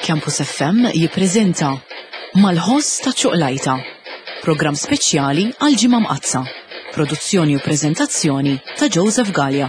Campus FM jippreżenta Mal-ħoss ta' ċuqlajta, programm speċjali għal Ġimgħa Mqaddsa. Produzzjoni u preżentazzjoni ta' Joseph Galea.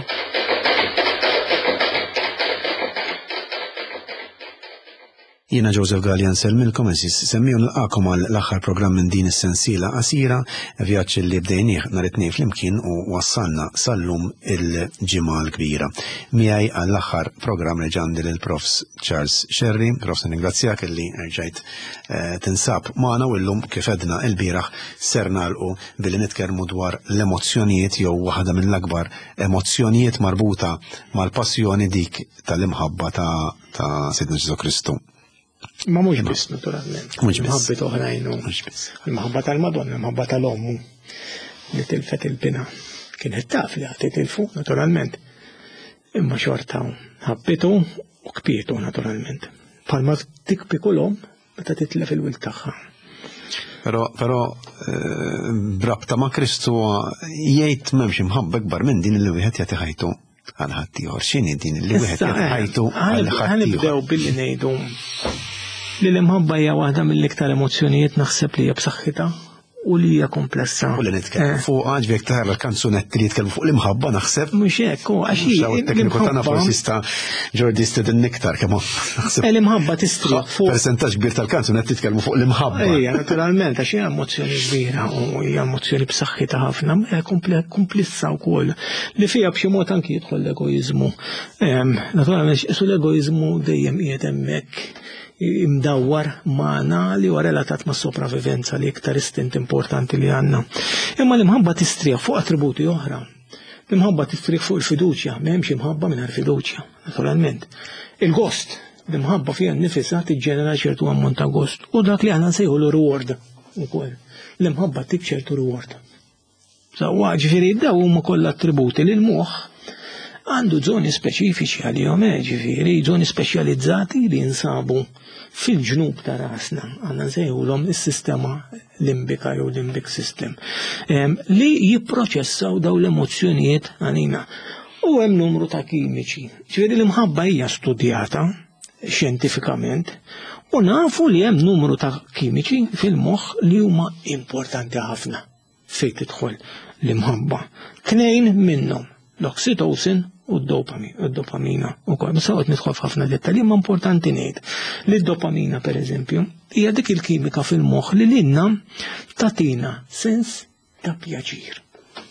Jiena Joseph Galea nsellmilkom għeżież semmiegħa u nilqagħkom għal l-aħħar programm minn din is-sensiela qasira, vjaġġ li bdejnieh nhar it-Tnejn flimkien u wassalna sal-lum il-Ġimgħa l-Kbira. Miegħi għall-aħħar programm reġa' għandi lil Profs Charles Scerri. Profs nirringrazzjak li rġajt eh, tinsab magħna u llum kif għedna il-bieraħ ser nagħlqu billi nitkellmu dwar l-emozzjonijiet jew waħda mill-akbar emozzjonijiet marbuta mal-passjoni dik tal-imħabba ta' ta' Sidna Ġesu Kristu. Ma mhux biss naturalment. Mhux biss. Mħabbit oħrajn u. Mhux biss. Il-maħabba tal-Madonna, il-maħabba tal-ommu li tilfet il-bina. Kienet taf li għati tilfu, naturalment. Imma xorta ħabbitu u kpietu naturalment. Palma tikpi kull omm meta titlef il-wild tagħha. Però, però eh, brabta ma' Kristu jgħid m'hemmx imħabba kbar minn din li wieħed jagħti ħajtu għal ħaddieħor. X'inhi din li wieħed jagħti eh, ħajtu għal ħaddieħor? Ħanibdew billi ngħidu li l-imħabba hija waħda mill-iktar emozzjonijiet naħseb li hija b'saħħitha u li hija komplessa. U li nitkellmu eh. fuq għax jekk tara l-kanzunetti li jitkellmu fuq l-imħabba naħseb. Mhux hekk, u għax hi. Il-tekniku tagħna forsi sta Ġordi stedin iktar kemm naħseb. Eh, l-imħabba tistri fuq. Persentaġġ kbir tal-kanzunetti jitkellmu fuq l-imħabba. Ejja, naturalment, għax hija emozzjoni kbira u hija emozzjoni b'saħħitha ħafna, hija komplessa wkoll li fiha b'xi mod anki jidħol l-egoiżmu. Naturalment, su l-egoiżmu dejjem qiegħed hemmhekk imdawwar magħna li huwa relatat ma' sopravivenza li iktar istint importanti li għandna. Imma l-imħabba tistrieħ fuq attributi oħra. L-imħabba tistrieħ fuq il-fiduċja, m'hemmx imħabba mingħajr fiduċja, naturalment. Il-gost, l-imħabba fiha nnifisha tiġġenera ċertu ammont ta' gost u dak li aħna nsejħu reward ukoll. L-imħabba tik ċertu reward. Sewwa, ġifieri daw huma kollha attributi li l-moħħ għandu żoni speċifiċi għalihom, eh, ġifieri żoni speċjalizzati li jinsabu fil-ġnub ta' rasna, għandna nsejħulhom is-sistema limbika jew limbic system, li jipproċessaw daw l-emozzjonijiet għalina. U hemm numru ta' kimiċi. Ġifieri l-imħabba hija studjata xjentifikament u nafu li hemm numru ta' kimiċi fil-moħħ li huma importanti ħafna fejn tidħol l-imħabba. Tnejn minnhom, l-oxytocin u d-dopamina. U kol, ma sawet nidħol f'ħafna dettalji, ma importanti ngħid li d-dopamina pereżempju hija dik il-kimika fil-moħħ li lilna tatina sens ta' pjaċir.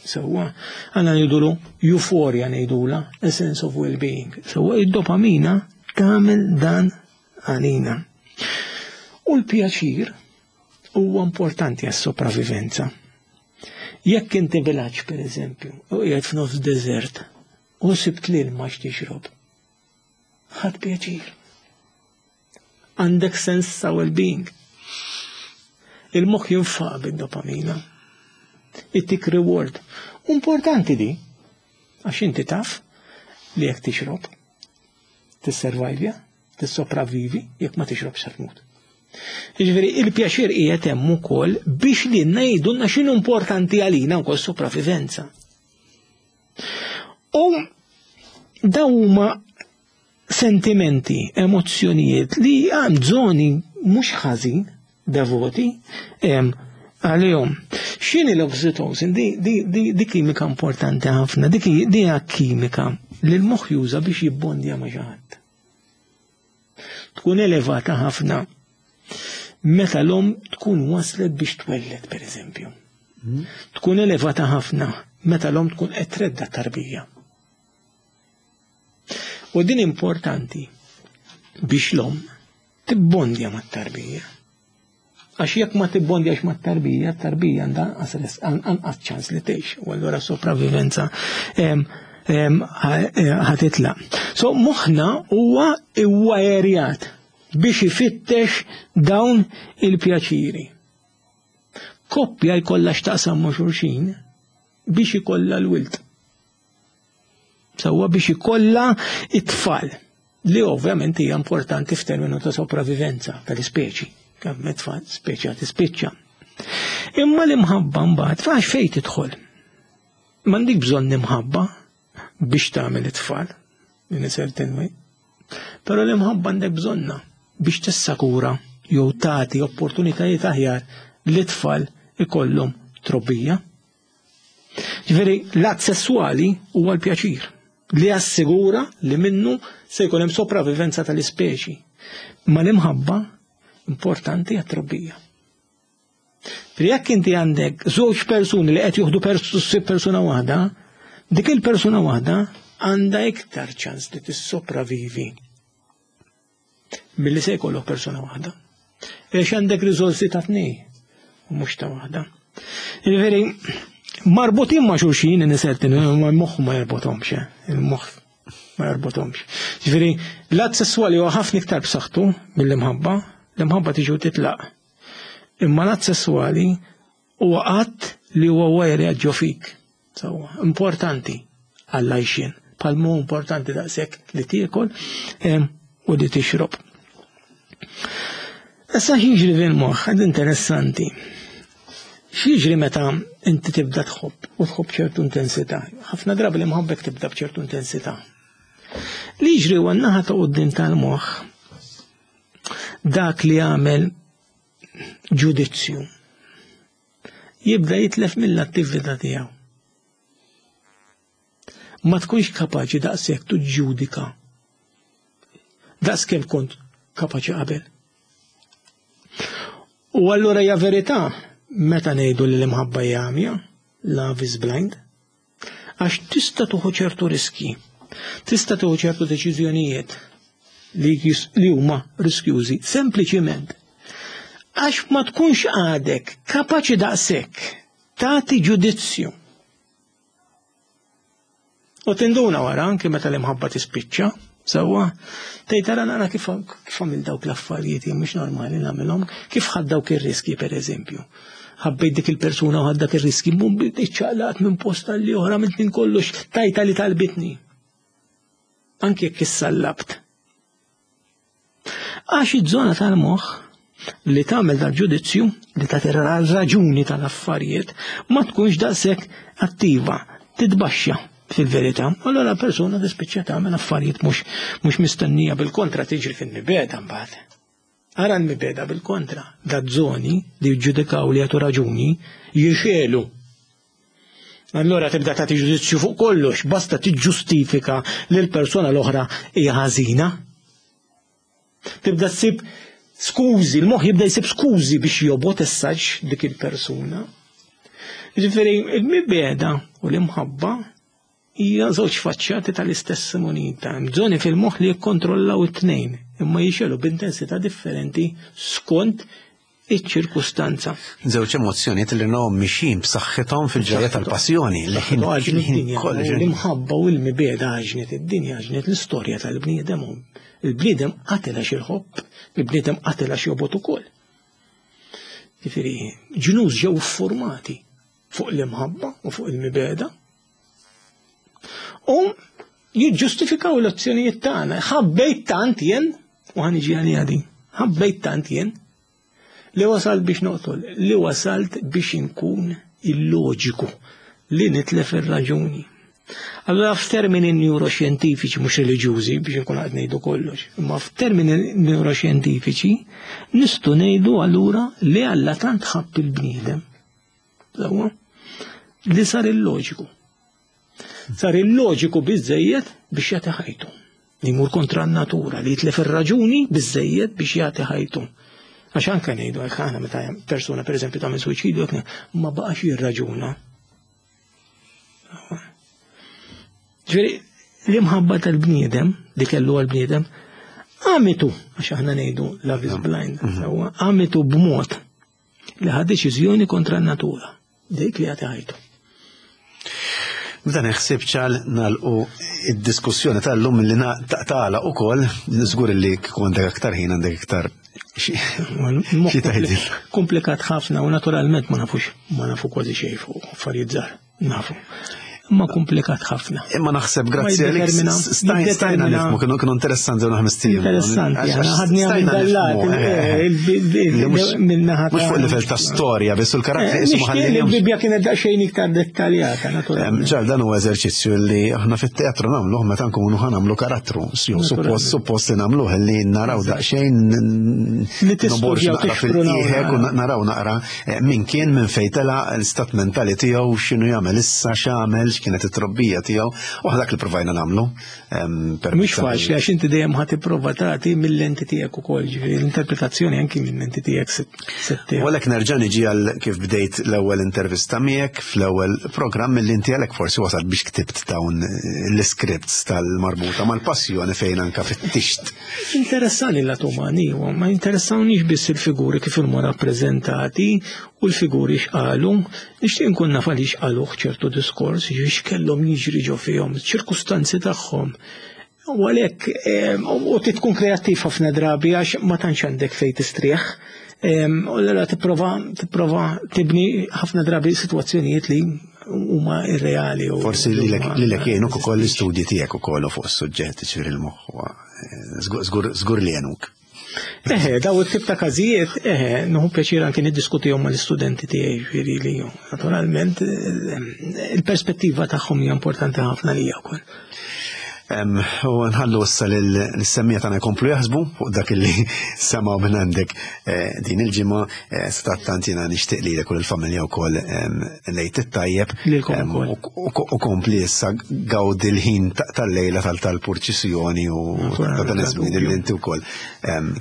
Sewwa, għandna ngħidulu euforia ngħidula, a sense of well-being. Sewwa id-dopamina tagħmel dan għalina. U l-pjaċir huwa importanti għas-sopravivenza. Jekk inti vilaġġ pereżempju, u qiegħed f'nofs deżert u sibt l-ilma x'tixrob, ħadd pjaċir. Għandek sens ta' well-being. Il-moħħ jinfaq bid-dopamina. Ittik reward. Importanti di, għax inti taf li jekk tixrob, tisservajvja, tissopravvivi jekk ma tixrobx se tmut. Jiġifieri il-pjaċir qiegħed hemm ukoll biex li ngħidulna x'inhu importanti għalina wkoll sopravivenza. U dawn huma sentimenti, emozzjonijiet li għand żoni mhux ħażin devoti għalihom. X'inhi l-oxytocin? Di, di, di, di kimika importanti ħafna, dik di hija kimika li l-moħħ juża biex jibbondja ma' xi ħadd. Tkun elevata ħafna meta l-om tkun waslet biex twelled, per eżempju. Hmm. Tkun elevata ħafna meta l-om tkun qed tredda tarbija. U din importanti biex l-om tibbondja mat-tarbija. Għax jekk ma tibbondjax mat-tarbija, t-tarbija għandha anqas ċans li tgħix, u allura sopravivenza ħatitla. So moħħna huwa iwajerjat biex ifittex dawn il-pjaċiri. Koppja jkollha x'taqsam ma' xulxin biex ikollha l-wild. Sewwa biex ikollha it-tfal li ovvjament hija importanti f'terminu ta' sopravivenza tal-ispeċi. Kemm it-tfal speċi għad tispiċċa. Imma l-imħabba mbagħad fax fejn tidħol. M'għandik bżonn imħabba biex tagħmel it-tfal in a certain way. Però l-imħabba għandek bżonna. biex tissakura jew tagħti opportunitajiet aħjar li tfal ikollhom trobbija. Ġifieri l-att sesswali huwa l-pjaċir li jassigura li minnu se jkun hemm sopravivenza tal-ispeċi. Ma l-imħabba importanti għat-trobbija. Ġifieri jekk inti għandek żewġ persuni li qed juħdu persuna waħda, dik il-persuna waħda għandha iktar ċans li tissopravivi milli se jkollok persuna waħda. Għax għandek riżorsi ta' tnej, u mhux ta' waħda. Ġifieri, marbutin ma' xulxin nisertin, ma' moħħ ma jarbotomx, eh, il-moħħ ma jarbotomx. Ġifieri, l-att sesswali huwa ħafna iktar b'saħħtu mill-imħabba, l-imħabba tiġi u titlaq. Imma l-att sesswali huwa att li huwa wajri ġo fik. Sewwa, importanti għall-għajxien, bħal mu importanti daqshekk li tiekol u li tixrob. Issa x'jiġri fil-moħħ, għad interessanti. X'jiġri meta inti tibda tħobb u tħobb ċertu intensità? Ħafna drabi li mħabbek tibda b'ċertu intensità. Li jiġri huwa n-naħa ta' quddiem tal-moħħ dak li għamel ġudizzju jibda jitlef mill-attività tiegħu. Ma tkunx kapaċi daqshekk tuġġudika daqs kemm kont kapaċi qabel. U allura hija verità meta ngħidu li l-imħabba hija għamja, love is blind, Għax tista' tuħu ċertu riski, tista' tuħu ċertu deċiżjonijiet li, li huma riskjużi, sempliċiment għax ma tkunx għadek kapaċi daqshekk tagħti ġudizzju. U tinduna wara anke meta l-imħabba tispiċċa, sewwa, tgħid ara nara kif kif għamil dawk l-affarijiet jien mhux normali nagħmilhom, kif ħadd dawk ir-riski pereżempju. Ħabbejt dik il-persuna u ħadd dak ir-riski, mum iċċaqlaqt minn post għal ieħor għamilt minn kollox tajta li talbitni. Anke jekk issallabt. Għax iż-żona tal-moħħ li tagħmel dal-ġudizzju li tagħti raġuni tal-affarijiet ma tkunx daqshekk attiva, titbaxxa fil-verità. Allora persuna tispiċċa tagħmel affarijiet mhux mhux mistennija bil-kontra tiġri fil-mibeda mbagħad. Ara l-mibeda bil-kontra, da żoni li jiġġudikaw li jagħtu raġuni jixelu. Allora tibda tagħti ġudizzju fuq kollox, basta tiġġustifika li l-persuna l-oħra hija ħażina. Tibda ssib skużi, il-moħħ jibda jsib skużi biex jobgħod essaġ dik il-persuna. Ġifieri, il-mibeda u l-imħabba hija żewġ faċċati tal-istess munita. Hemm żoni fil-moħħ li jikkontrollaw it-tnejn, imma jixelu b'intensità differenti skont iċ-ċirkustanza. Żewġ emozzjonijiet li nahom mixjin b'saħħithom fil-ġrajja tal-passjoni. L-imħabba u l-mibeda għaġnet id-dinja, għaġnet l-istorja tal-bniedem. Il-bniedem qatel għax il-ħobb, il-bniedem qatel għax jobgħod ukoll. Ġifieri, ġnus ġew formati fuq l-imħabba u fuq il-mibeda. U jiġġustifikaw l-azzjonijiet tagħna. Ħabbejt tant jien, u ħaniġi għalija din, ħabbejt tant jien li wasalt biex noqtol, li wasalt biex inkun illoġiku, li nitlef ir-raġuni. Allora f'termini neuroxjentifiċi mhux reliġjużi biex inkun qed ngħidu kollox, imma f'termini neuroxjentifiċi nistgħu ngħidu allura li Alla tant ħabb il-bniedem. Li sar illoġiku. Sar illoġiku biżejjed biex jagħti ħajtu. Li jmur kontra n-natura, li jitlef ir-raġuni biżejjed biex jagħti ħajtu. Għax anke ngħidu hekk aħna meta persuna pereżempju tagħmel suwiċidju ma baqax jirraġuna. Ġifieri l-imħabba tal-bniedem li kellu għall-bniedem għamitu, għax aħna ngħidu love is blind, mhm. sewwa, għamitu b'mod li ħa deċiżjoni kontra n-natura, dik li għati ħajtu. B'dan il-ħsieb ċal nagħlqu id-diskussjoni tal-lum li tagħlaq ukoll, żgur li kieku għandek aktar ħin għandek iktar xi tgħidil. Komplikat ħafna u naturalment ma nafux ma nafu kważi xejn fuq affarijiet żgħar. Nafu. Imma komplikat ħafna. Imma naħseb grazzi għalik stajna nifmu kienu kienu interessanti u naħmis tiegħu. Interessanti, ħadni għamil dallat minnaħa. Mhux fuq livell ta' storja, biss il-karattri ismu ħalli. Il-Bibbja kienet daqsxejn iktar dettaljata, naturalment. Ġal dan huwa eżerċizzju li aħna fit-teatru nagħmluh meta nkunu ħa nagħmlu karattru. Suppost suppost li nagħmluh li naraw daqsxejn nobor naqra fil-qiegħek u naraw naqra Eh, min kien minn fejn tela l-istat mentali tiegħu x'inhu jagħmel issa x'għamel x'kienet it-trobbija tiegħu u dak li provajna nagħmlu. Mhux faċli għax inti dejjem ħadd tipprova tagħti mill-lenti tiegħek ukoll, ġifieri l-interpretazzjoni anki mill-lenti tiegħek se U għalhekk nerġa' niġi għal kif bdejt l-ewwel intervista miegħek fl-ewwel programm milli inti għalhekk forsi wasalt biex ktibt dawn l-iscripts tal-marbuta mal-passjoni fejn anka fit-tixt Interessani l-lat umani, ma jinteressawnix biss il-figuri kif huma rappreżentati u l-figuri x'qalu, nixtieq nkun naf għaliex qaluh ċertu diskors, x'kellhom jiġri ġo fihom, ċirkustanzi tagħhom. U għalhekk u tkun kreattiv ħafna drabi għax ma tantx għandek fejn tistrieħ. U allura tipprova tipprova tibni ħafna drabi sitwazzjonijiet li huma irreali. Forsi lilek jgħinuk ukoll l-istudji tiegħek ukoll fuq is-suġġett ġifieri l-moħħ Żgur li għenuk. Eħe, daw it-tip ta' każijiet, eħe, nuhu pjaċir anki niddiskutihom mal-istudenti tiegħi, ġifieri li naturalment il-perspettiva tagħhom hija importanti ħafna lija wkoll. U nħallu issa l-semmija tagħna jkomplu jaħsbu fuq dak li semgħu minn għandek eh, din il-ġimgħa eh, stattant jiena nixtieq lilek u l-familja wkoll lejt it-tajjeb u kompli issa gawdi l-ħin tal-lejla tal-purċissjoni u ta' dan iż-żmien li inti wkoll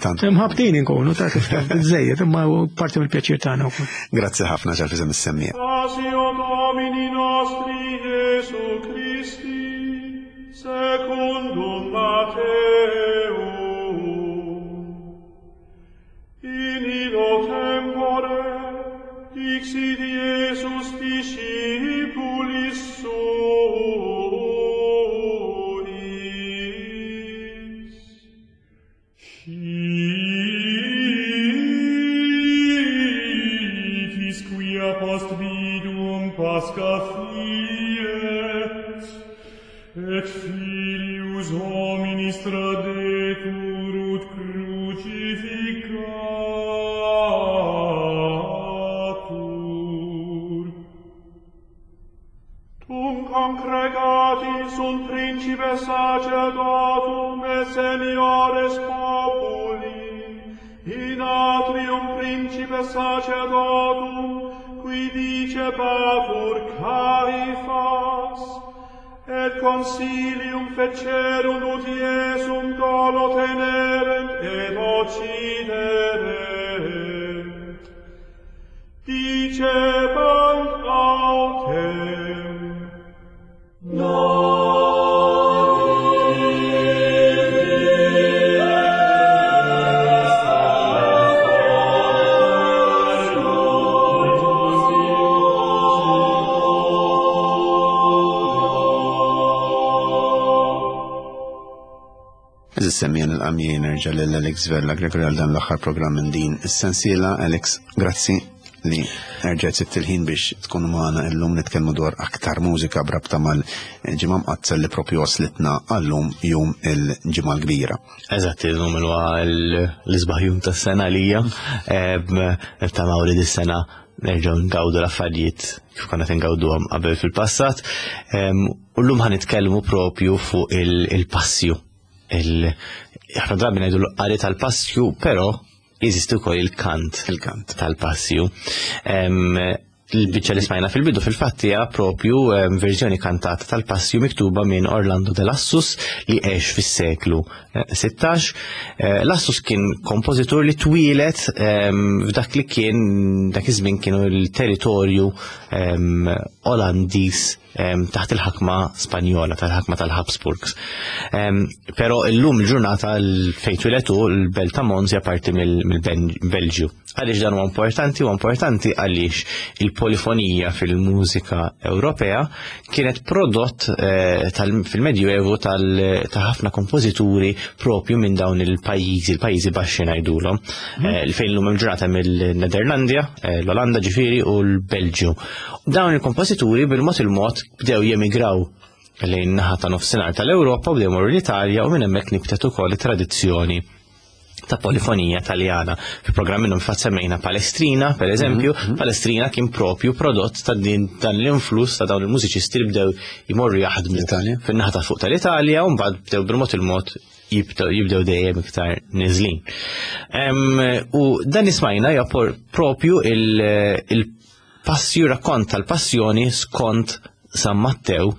tant. Imħabtin inkunu ta' kif taf biżejjed imma parti mill-pjaċir tagħna wkoll. Grazzi ħafna ġal fiżem is-semmija. Passio Domini nostri Jesu Christi, secundum Matteum. In illo tempore dixit Iesus discipulis suis, Scitis quia post viduum Pascha fiet, et filius hominis tradetur ut crucificatur. Tum congregati sunt principes sacerdotum et seniores populi, in atrium principes sacerdotum, qui dicebatur Caifas, et consilium fecerunt ut Iesum dolo tenerent et occiderent. Dicebant autem, Eżis semmija nil-qamji nerġa' lil Alex Vella Gregory għal dan l-aħħar programm minn din is-sensiela. Alex, grazzi li erġajt sibt il-ħin biex tkun magħna illum nitkellmu dwar aktar mużika brabta mal-ġimgħa mqaddsa li propju waslitna għallum jum il-ġimgħa l-kbira. Eżatt, illum huwa l-isbaħ jum tas-sena lija. Nittamaw li dis-sena nerġgħu ngawdu l-affarijiet kif konna ngawduhom qabel fil-passat. U llum ħa nitkellmu propju fuq il-passju. Ħafna drabi ngħidu l-qari tal-passju, però jeżisti wkoll il-kant Il-kant. tal-passju. Il-biċċa li smajna fil-bidu fil-fatt hija propju verżjoni kantata tal-passju miktuba minn Orlando de Lassus li għex fis-seklu 16. Eh, Lassus kien kompożitur li twieled f'dak li kien dak iż-żmien kienu l-territorju Olandiż taħt il-ħakma Spanjola, tal-ħakma tal-Habsburgs. Però illum il-ġurnata fejn twieled hu l-belt ta' Mons hija parti mill-Belġju. Għaliex dan huwa importanti? Huwa importanti għaliex il-polifonija fil-mużika Ewropea kienet prodott eh, fil-Medjuevu ta' ħafna kompożituri propju minn dawn il-pajjiżi, il-pajjiżi baxxi ngħidulhom, mhm. eh, fejn l-lum il-ġurnata mill-Nederlandja, eh, l-Olanda ġifieri u l-Belġju. Dawn il-kompożituri bil-mod il-mod bdew jemigraw lejn naħa ta' nofsinhar tal-Ewropa u bdew morru l-Italja u minn hemmhekk nibtet ukoll it-tradizzjoni ta' polifonija taljana. Fi programm minnhom fatt semmejna Palestrina, per eżempju, mhm, mhm. Palestrina kien propju prodott ta' din dan l-influss ta' dawn il-mużiċisti li bdew jmorru jaħdmu fin-naħa ta' fuq tal-Italja u mbagħad bdew bil-mod il-mod jibdew dejjem iktar niżlin. U dan ismajna hija propju il-passju rakkont tal-passjoni skont San Mattew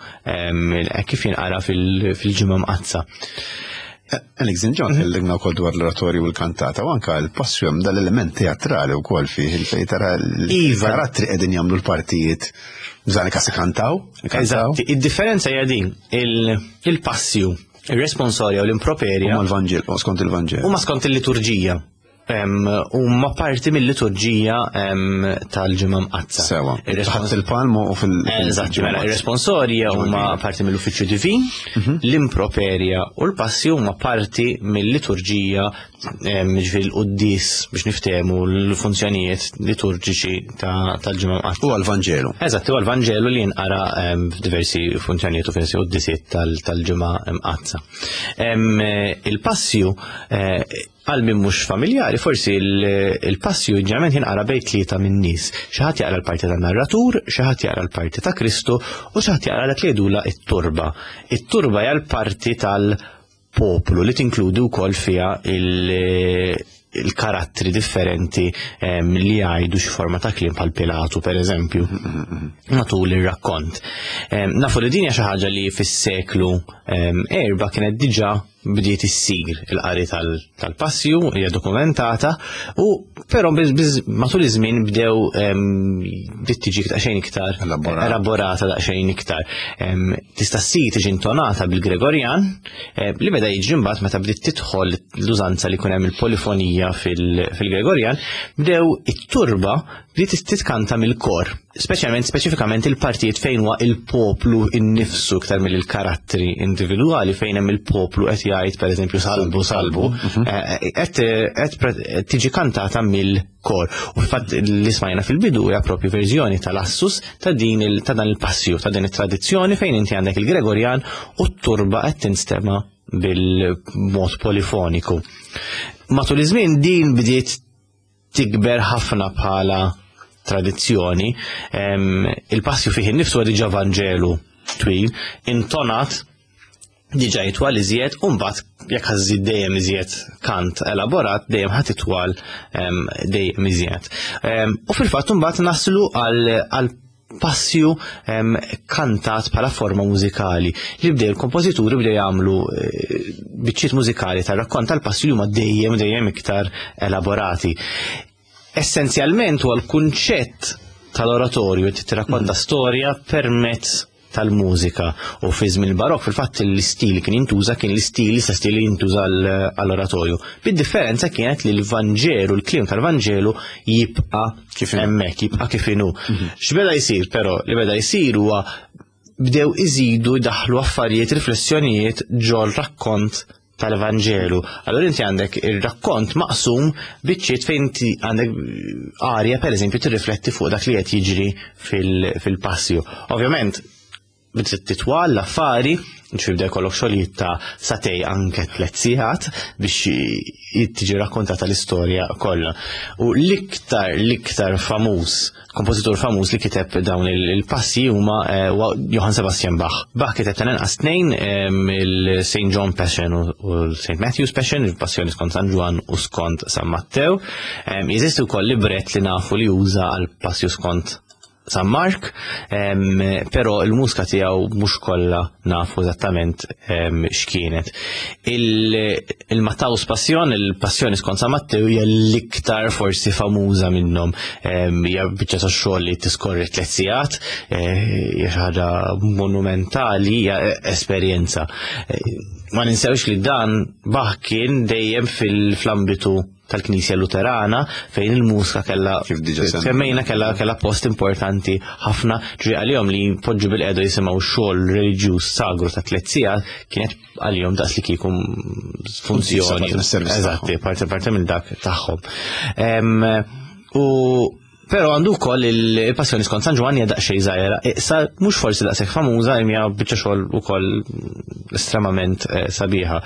kif jinqara fil-ġimgħa mqaddsa. Alex Ġon, mhm. tkellimna wkoll dwar l-oratorju u l-kantata, u anka l-passju hemm dal-element teatrali wkoll fih il-fejn tara iva. l-karattri qegħdin jagħmlu l-partijiet bżani kas kantaw. Eżatt, id-differenza hija din, il-passju, il-responsorja u l-improperja. Huma l-Vanġel, skont il-Vanġel. Huma skont il-liturġija huma parti mill-liturġija tal-ġimgħa mqaddsa. Sewa. Taħt il-palmu u fil- Eżatt, mela, ir-responsorja huma parti mill-uffiċċju divin, mhm. l-improperja u l-passi huma parti mill-liturġija ġifieri l-quddis biex niftehmu l-funzjonijiet liturġiċi tal-ġimgħa mqaddsa. U għal-Vanġelu. Eżatt, u għal-Vanġelu li jinqara f'diversi funzjonijiet u diversi quddisiet tal-ġimgħa mqaddsa. Il-passju eh, Għal min mhux familjari, forsi il-passju ġeneralment jinqara bejn tlieta minn nies. Xi ħadd jaqra l-parti tan-narratur, xi ħadd jaqra l-parti ta' Kristu u xi ħadd jaqra dak li jgħidulha it-turba. It-turba hija l-parti tal-poplu li tinkludi wkoll fiha il-karattri differenti ehm, li jgħidu xi forma ta' kliem bħal Pilatu pereżempju matul ir-rakkont. Ehm, nafu li din hija xi ħaġa li fis-seklu ehm, erba' kienet diġà bdiet issir il-qari tal-passju, hija dokumentata, u però matul iż-żmien bdew bdiet tiġi daqsxejn iktar elaborata daqsxejn iktar. Tista' ssir tiġi intonata bil-Gregorjan, li beda jiġri mbagħad meta bdiet tidħol l-użanza li jkun hemm il-polifonija fil-Gregorjan, bdew it-turba bdiet titkanta mill-kor speċjalment speċifikament il-partijiet fejn huwa il-poplu innifsu iktar mill karattri individwali fejn hemm il-poplu qed jgħid pereżempju salbu salbu mhm. eh, qed tiġi kantata mill-kor. U fil-fatt li smajna fil-bidu hija propju verżjoni tal-assus ta' din ta' dan il-passju ta' din it-tradizzjoni fejn inti għandek il-Gregorjan u t-turba qed tinstema' bil-mod polifoniku. Matul iż-żmien din bdiet tikber ħafna bħala tradizzjoni, il-passju fih innifsu diġà Vanġelu twil, intonat diġà jitwal iżjed u mbagħad jekk ħażid dejjem iżjed kant elaborat dejjem ħadd itwal dejjem iżjed. U fil-fatt imbagħad naslu għal passju kantat bħala forma mużikali li bdew il-kompożituri bdew jagħmlu eh, biċċiet mużikali tar-rakkont tal-passju li huma dejjem dejjem iktar elaborati. Essenzjalment huwa l-kunċett tal-oratorju li tirrakkonta mm. storja permezz tal-mużika u fi żmien il-barok fil-fatt l-istil li kien jintuża kien l-istil l-istess stil li jintuża għall-oratorju. Bid-differenza kienet li l-Vanġelu, l-kliem tal-Vanġelu jibqa' kif hemmhekk, jibqa' kif inhu. Mhm. X'beda jsir però li beda jsir huwa bdew iżidu jdaħħlu affarijiet, riflessjonijiet ġol rakkont tal-Evanġelu. Allora inti għandek ir-rakkont maqsum biċċiet fejn inti għandek arja pereżempju tirrifletti fuq dak li qed jiġri fil-passju. Ovvjament, bdiet titwal l-affari, ġifieri bda jkollok xogħlijiet ta' satej anke tliet sigħat biex tiġi rakkontata l-istorja kollha. U l-iktar l-iktar famuż, kompożitur famuż li kiteb dawn il-passi huma eh, Johann Sebastian Bach. Bach kiteb tal-inqas tnejn il-St. John Passion u l-St. Matthew's Passion, il-Passjoni skont San Ġwann u skont San Mattew. Jeżisti wkoll libret li nafu li juża għal passju skont San Mark, però il-mużika tiegħu mhux kollha nafu eżattament x'kienet. Il-Mattaus Passion, il-Passjoni skont San Mattew hija l-iktar forsi famuża minnhom. Hija biċċa ta' xogħol li tiskorri tliet sigħat, eh, hija xi ħaġa monumentali, hija esperjenza. Eh, ma ninsewx li dan Bach kien dejjem fil-ambitu tal-Knisja Luterana fejn il-mużika kellha Kif diġà semmejna. semmejna kellha kellha post importanti ħafna ġri għalihom li jpoġġu bil-qedu jisimgħu xogħol reliġjuż sagru ta' tliet sigħat kienet għalihom daqs li kieku funzjoni. Parti mis-servizz Eżatti, parti parti minn dak tagħhom. U Però għandu wkoll il-Passjoni skont San Ġwann hija daqsxejn żgħira, iqsa mhux forsi daqshekk famuża imma hija biċċa xogħol ukoll estremament eh, sabiħa.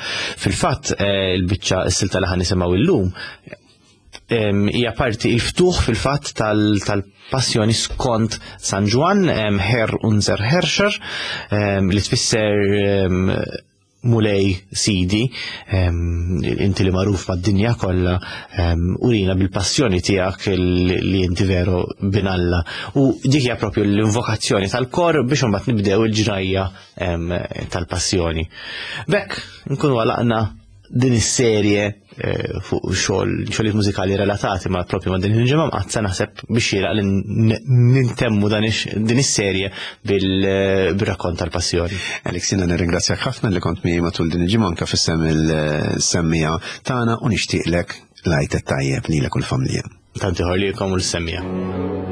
Fil-fatt eh, il-biċċa s-silta li ħan nisimgħu illum hija parti il-ftuħ fil-fatt tal-Passjoni skont San Ġwann, Herr unser Herrscher, li tfisser Mulej Sidi, inti li magħruf mad-dinja kollha, urina bil-passjoni tiegħek li inti veru bin Alla. U dik hija propju l-invokazzjoni tal-kor biex imbagħad nibdew il-ġrajja tal-passjoni. B'hekk nkunu għalaqna din is-serje eh, fuq xogħol xogħlijiet mużikali relatati ma' propju ma' din il-ġimgħa mqaddsa naħseb biex xieraq li nintemmu din is-serje eh, bil-rakkont tal-passjoni. Alex, jiena nirringrazzjak ħafna li kont miegħi matul din il-ġimgħa anke fissem il-semmija tagħna u nixtieqlek lajt tajjeb lilek u l-familja. Tanti ħorlikom u l-semmija.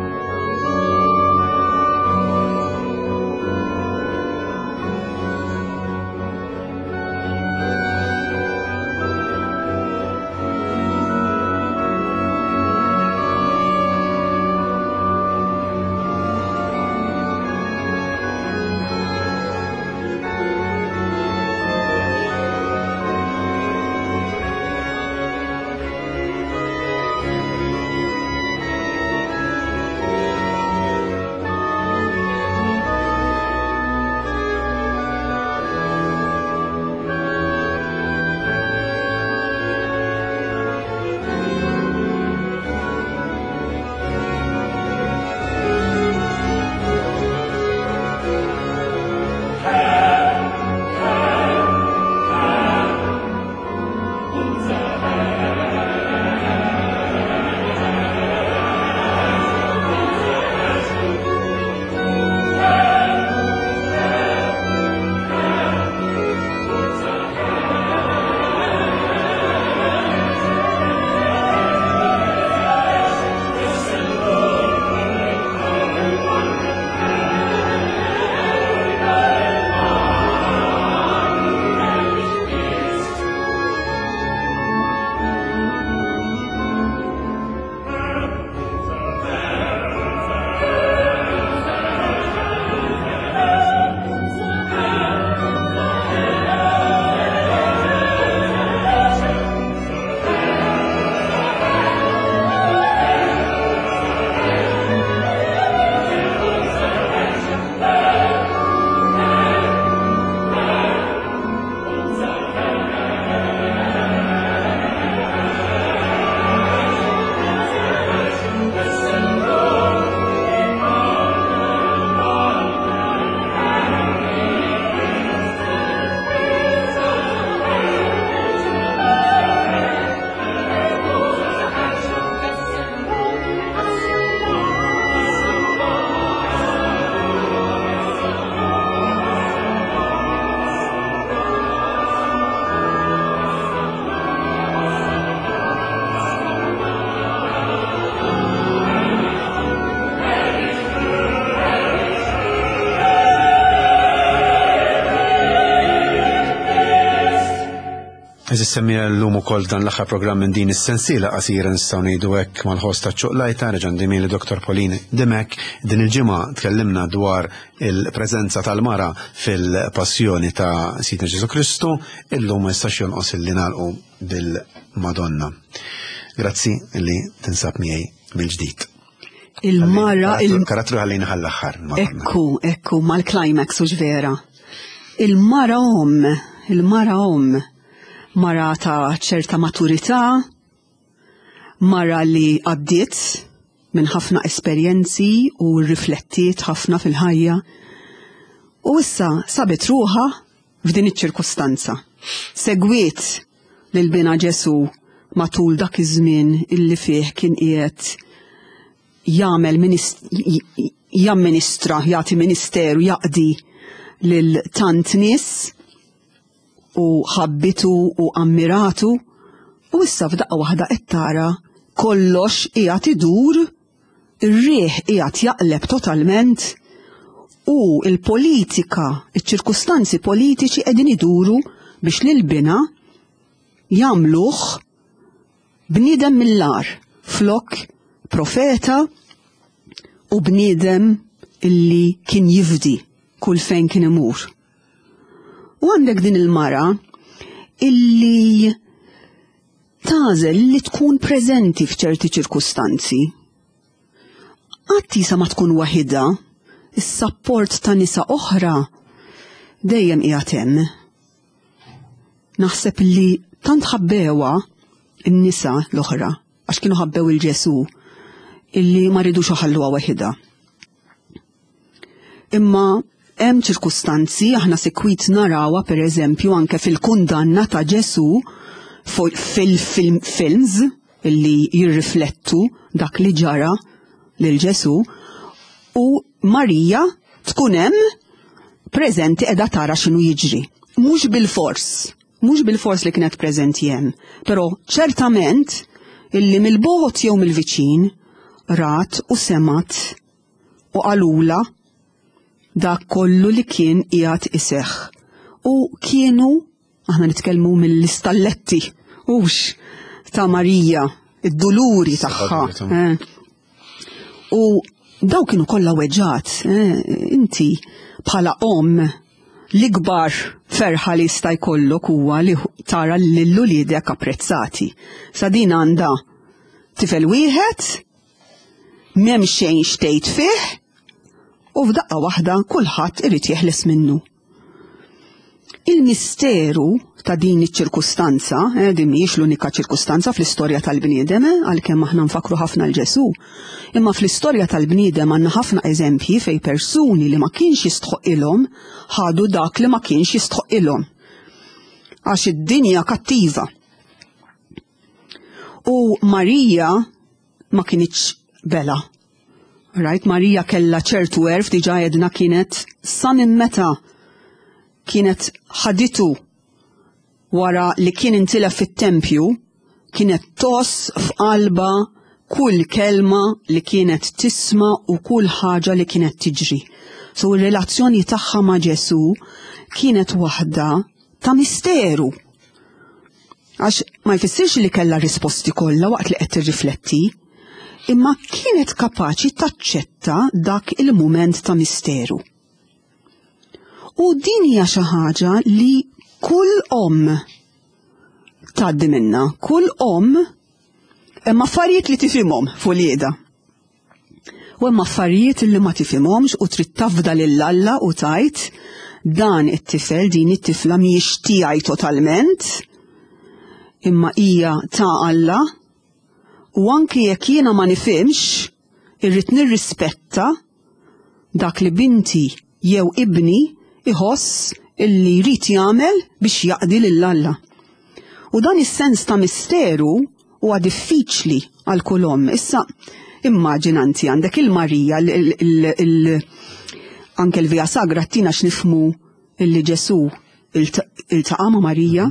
Eżis semmija l-lum ukoll dan l-aħħar programm minn din is-sensiela qasira nistgħu ngħidu hekk mal-ħoss ta' ċuqlajta reġa' li Dr. Pauline Dimek. Din il-ġimgħa tkellimna dwar il-preżenza tal-mara fil-passjoni ta' Sidna Ġesu Kristu, illum ma jistax jonqos illi nagħlqu bil-Madonna. Grazzi li tinsab miegħi mill-ġdid. Il-mara il-karattru ħallejna ħall-aħħar. Ekku, ekku, mal-climax u vera. Il-mara om, il-mara om, mara ta' ċerta maturità, mara li għaddiet minn ħafna esperjenzi u riflettiet ħafna fil-ħajja. U issa sabet ruħha f'din iċ-ċirkustanza. Segwiet lil bina Ġesu matul dak iż-żmien illi fih kien qiegħed jagħmel jamministra, jagħti ministeru, jaqdi lil tant nies u ħabbitu u ammiratu U issa f'daqqa waħda qed tara kollox qiegħed idur, ir-riħ qiegħed jaqleb totalment u l-politika, iċ-ċirkustanzi politiċi qegħdin iduru biex lil bina jagħmluh bniedem mill-agħar flok profeta u bniedem illi kien jifdi kull fejn kien imur. U għandek din il-mara illi tagħżel li tkun preżenti f'ċerti ċirkustanzi. Qatt isa ma tkun waħidha, is-sapport ta' nisa oħra dejjem qiegħed hemm. Naħseb li tant ħabbewha n-nisa l-oħra għax kienu ħabbew il-Ġesu illi ma ridux iħalluha waħidha. Imma hemm ċirkustanzi aħna sikwit narawha pereżempju anke fil-kundanna ta' Ġesu fil-films illi jirriflettu dak li ġara lil Ġesu u Marija tkun hemm preżenti qiegħda tara x'inhu jiġri. Mhux bilfors, mhux bilfors li kienet preżenti hemm, però ċertament illi mill-bogħod jew mill-viċin rat u semgħet u qalulha dak kollu li kien qiegħed iseħħ. U kienu, aħna nitkellmu mill-istalletti, hux ta' Marija, id-duluri tagħha. Eh. U daw kienu kollha weġġat, eh, inti bħala omm l-ikbar ferħa li jista' jkollok huwa li tara lil uliedek apprezzati. Sa din għandha tifel wieħed M'hemm xejn x'tgħid fih u f'daqqa waħda kulħadd irid jeħles minnu. Il-misteru ta' din iċ-ċirkustanza, eh, din mhijiex l-unika ċirkustanza fl-istorja tal-bniedem, eh, għalkemm aħna nfakru ħafna l-Ġesu, imma fl-istorja tal-bniedem għandna ħafna eżempji fej persuni li ma kienx jistħoqilhom ħadu dak li ma kienx jistħoqilhom. Għax id-dinja kattiva. U Marija ma kinitx bela. Right, Marija kella ċertu għerf diġa jedna kienet sa minn meta kienet ħaditu wara li kien intilef fit-tempju, kienet toss f'qalba kull kelma li kienet tisma u kull ħaġa li kienet tiġri. So ir-relazzjoni tagħha ma' Ġesu kienet waħda ta' misteru. Għax ma jfissirx li kellha risposti kollha waqt li qed tirrifletti, imma kienet kapaċi taċċetta dak il-mument ta' misteru. U din hija xi ħaġa li kull omm tgħaddi minna, kull omm hemm affarijiet li tifhimhom fuq U hemm affarijiet li ma tifhimhomx u trid tafda lil Alla u tgħid dan it-tifel, din it-tifla mhijiex tiegħi totalment, imma hija ta' Alla u anki jekk jiena ma nifhimx, irrid nirrispetta dak li binti jew ibni iħoss illi jrid jagħmel biex jaqdi lil Alla. U dan is-sens ta' misteru huwa diffiċli għal kull omm. Issa, immaġina inti għandek il-Marija, anke l-Via Sagra tina x'nifmu illi Ġesu iltaqa' ma' Marija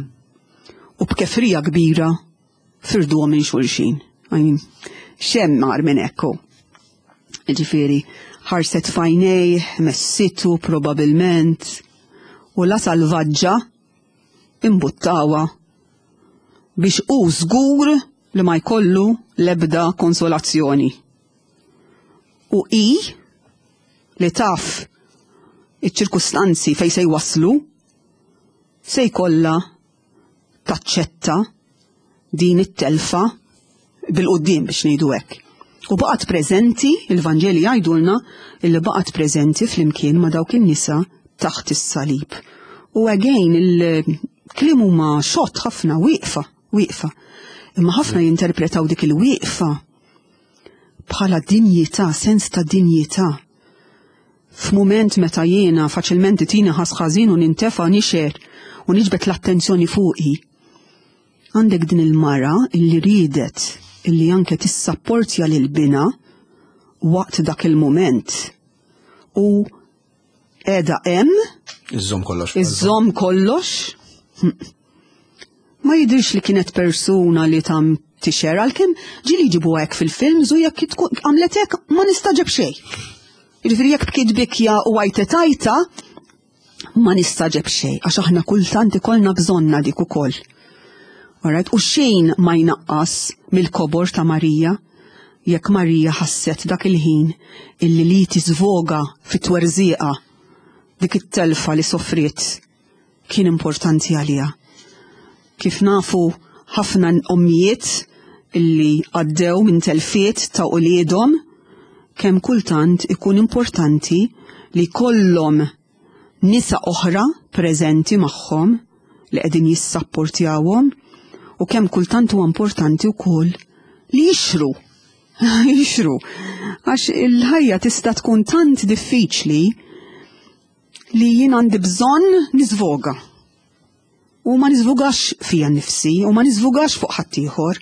u b'kefrija kbira firduhom minn xulxin. Xemm mar minn ekku. Ġifieri, ħarset fajnej, messitu probabilment, u la salvaġġa imbuttawa biex hu żgur li ma jkollu l-ebda konsolazzjoni. U hi li taf iċ-ċirkustanzi fejn se jwasslu se jkollha taċċetta din it-telfa bil-quddiem biex ngħidu hekk. U baqgħet preżenti, il-Vanġeli jgħidulna illi baqgħet preżenti flimkien ma' dawk in-nisa taħt is-salib. U again il-kliem huma xott ħafna wieqfa, wieqfa. Imma ħafna jinterpretaw dik il-wieqfa bħala dinjità, sens ta' dinjità. F'mument meta jiena faċilment itina ħas ħażin u nintefa' nixer u niġbed l-attenzjoni fuqi. Għandek din il-mara illi riedet illi anke tissapportja lil binha waqt dak il-mument u qiegħda hemm. Iżżomm kollox. Iżżomm kollox. Ma jidhirx li kienet persuna li tam tixer għalkemm ġieli jġibuha hekk fil-films u jekk tkun għamlet hekk ma nistaġeb xejn. Jiġifieri jekk bkiet bikja u għajtet għajta, ma nistaġeb xejn għax aħna kultant ikollna bżonna dik ukoll. Alright, u xejn ma jnaqqas mill-kobor ta' Marija jekk Marija ħasset dak il-ħin illi li tiżvoga fit-twerżieqa dik it-telfa li sofriet kien importanti għaliha. Kif nafu ħafna ommijiet illi għaddew minn telfiet ta' uliedhom, kemm kultant ikun importanti li jkollhom nisa oħra preżenti magħhom li qegħdin jissapportjawhom u kemm kultant huwa importanti wkoll li jixru. Jixru. Għax il-ħajja tista' tkun tant diffiċli li jien għandi bżonn niżvoga. U ma niżvugax fija nnifsi u ma niżvugax fuq ħaddieħor.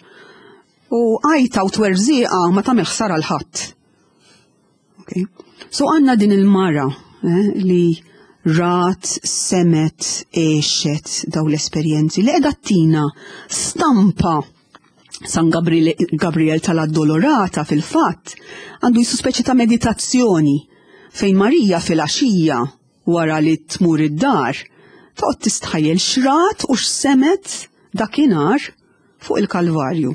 U għajta u twerżieqa ma tagħmel ħsara l ħadd. Okay? So għandna din il-mara eh, li rat, semet, għexet daw l-esperjenzi li qiegħda tina stampa San Gabriel tal-Addolorata fil-fatt għandu jisu speċi ta' meditazzjoni fejn Marija fil-għaxija wara li tmur id-dar toqgħod tistħajjel x'rat u x'semet dakinhar fuq il-Kalvarju.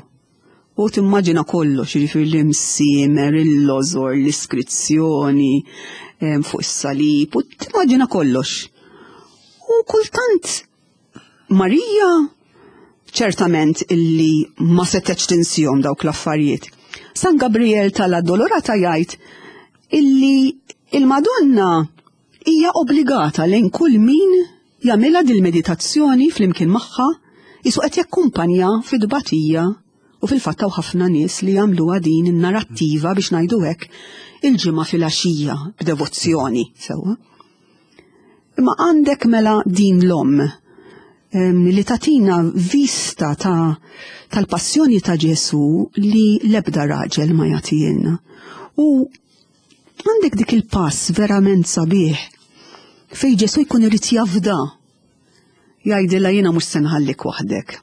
U timmaġina kollox, jiġifieri l-imsiemer, il-lożor, l-iskrizzjoni fuq is-salib, u timmaġina kollox. U kultant Marija ċertament illi ma setgħetx tinsihom dawk l-affarijiet. San Gabriel tal-Addolorata jgħid illi il-Madonna hija obbligata lejn kull min jagħmilha dil-meditazzjoni flimkien magħha jisu qed jakkumpanja fid-tbatija u fil-fatt hawn ħafna nies li jagħmluha din in-narrattiva biex ngħidu hekk il-ġimgħa filgħaxija b'devozzjoni sewwa. Imma għandek mela din l-omm li tatina vista ta' tal-passjoni ta' Ġesu li l-ebda raġel ma jagħtielna. U għandek dik il-pass verament sabiħ fej Ġesu jkun irid jafda. Jgħidilha jiena mhux se nħallik waħdek.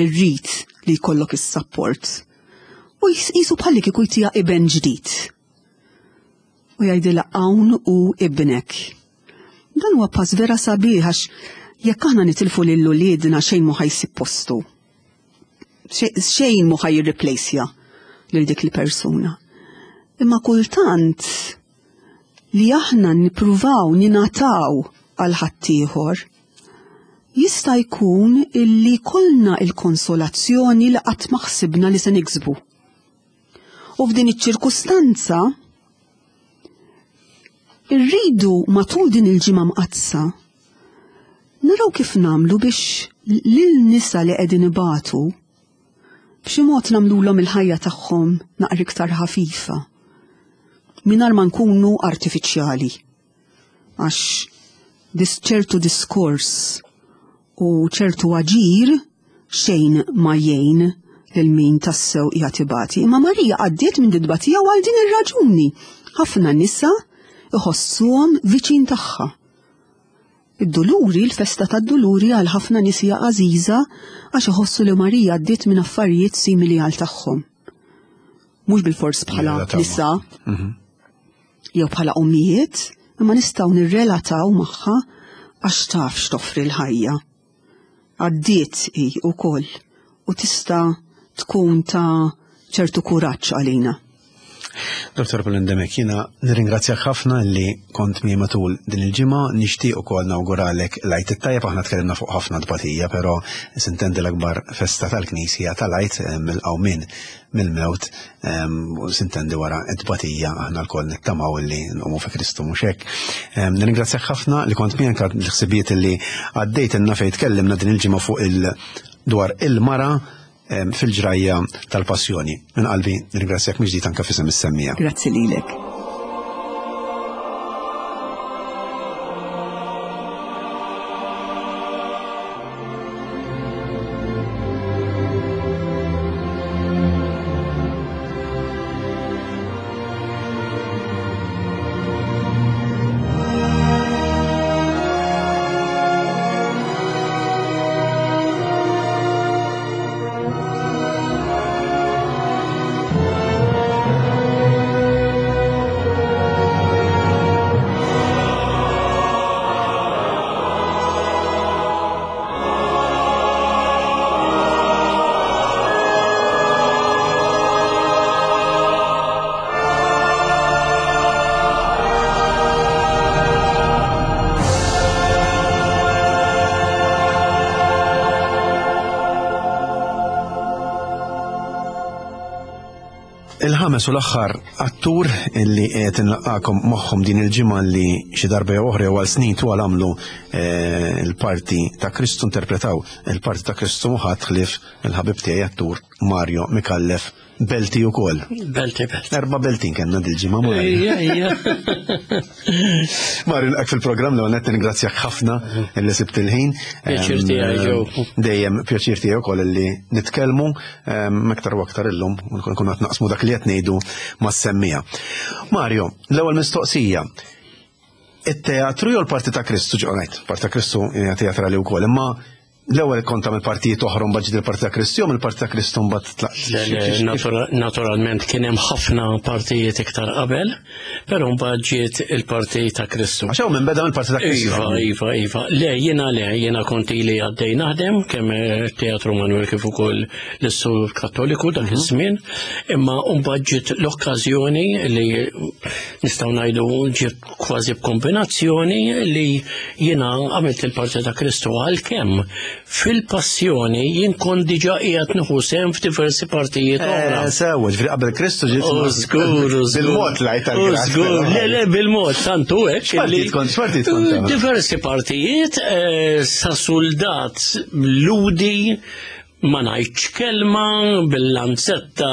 Irrid li jkollok is-sapport. U jisu bħalli kieku jtiha iben ġdid. U jgħidilha hawn hu ibnek. Dan huwa pass vera sabiħ għax jekk aħna nitilfu lil uliedna xejn mhu ħajsib postu. Xejn mhu ħaj jirriplejsja lil dik il-persuna. Imma kultant li aħna nippruvaw ninataw għal ħaddieħor jista' jkun illi kollna il-konsolazzjoni li qatt ma ħsibna li se niksbu. U f'din iċ-ċirkustanza irridu matul din il-ġimgħa mqaddsa naraw kif nagħmlu biex lil nisa li qegħdin ibatu b'xi mod nagħmlulhom il-ħajja tagħhom naqra iktar ħafifa mingħajr ma nkunu artifiċjali. Għax dis ċertu diskors u ċertu aġir xejn ma jgħin lil min tassew qiegħed ibati. Imma Marija għaddiet minn din tbatija u għal din ir-raġuni ħafna nisa iħossuhom viċin tagħha. Id-duluri, il-festa tad-duluri għal ħafna nies hija għażiża għax iħossu li Marija għaddiet minn affarijiet simili għal tagħhom. Mhux bilfors bħala nisa mhm. jew bħala ommijiet, imma nistgħu nirrelataw magħha għax taf x'toffri l-ħajja. Għaddiet hi wkoll u tista' tkun ta' ċertu kuraġġ għalina. Dr. Pauline Demek, jiena nirringrazzjak ħafna li kont miegħi matul din il-ġimgħa, nixtieq ukoll nawguralek l-Għid it-tajjeb, aħna tkellimna fuq ħafna tbatija, però sintendi l-akbar festa tal-Knisja tal-Għid eh, mill-qawmien mill-mewt u sintendi wara t-tbatija aħna lkoll nittamaw li nqumu fi Kristu mhux hekk. Nirringrazzjak ħafna li kont miegħek l-ħsibijiet li għaddejt inna fejn tkellimna din il-ġimgħa fuq il dwar il-mara fil-ġrajja tal-passjoni. Minn qalbi nirringrazzjak mill-ġdid anke f'isem is-semmija. Grazzi lilek. Il-ħames u l-aħħar attur illi qed inlaqqakom magħhom din il-ġimgħa li xi darba jew oħra jew għal snin twal għamlu eh, l-parti ta' Kristu interpretaw il-parti ta' Kristu ħadd ħlief il-ħabib tiegħi attur Mario Mikallef Belti ukoll. Belti, belti. Erba' beltin kellna dil-ġimgħa Mario. Ija, ija. Mario, nilqak fil-programm l qed ningrazzjak ħafna illi sibt il-ħin. Pjaċir tiegħi ġew. Dejjem pjaċir tiegħi wkoll illi nitkellmu aktar u aktar illum nkun qed naqsmu dak li qed ngħidu mas-semmija. Mario, l-ewwel mistoqsija. It-teatru jew l-parti ta' Kristu ġo ngħid, parti ta' Kristu hija teatrali wkoll, imma l-ewwel kont tagħmel partijiet oħra mbagħad ġiet il-parti ta' Kristu jew mill-parti ta' Kristu mbagħad tlaqt. Le, le, naturalment kien hemm ħafna partijiet iktar qabel, però mbagħad ġiet il-parti ta' Kristu. Għax hawn minn beda mill-parti ta' Kristu. Iva, iva, iva. Le, jiena le, jiena kont ili għaddej naħdem kemm Teatru Manuel kif ukoll l-Istitut Kattoliku dak iż-żmien, imma mbagħad ġiet l-okkażjoni li nistgħu ngħidu ġiet kważi b'kombinazzjoni li jiena għamilt il-parti ta' Kristu għalkemm fil-passjoni jien kont diġà qiegħed nieħu sehem f'diversi partijiet oħra. Sewa, ġifieri qabel Kristu ġiet. U żgur, u żgur. Bil-mod lajt U żgur, le, le, bil-mod, tantu hekk. X'partijiet kont, x'partijiet kont tagħmel? Diversi partijiet, sa soldat ludi, ma ngħidx kelma, bil-lanzetta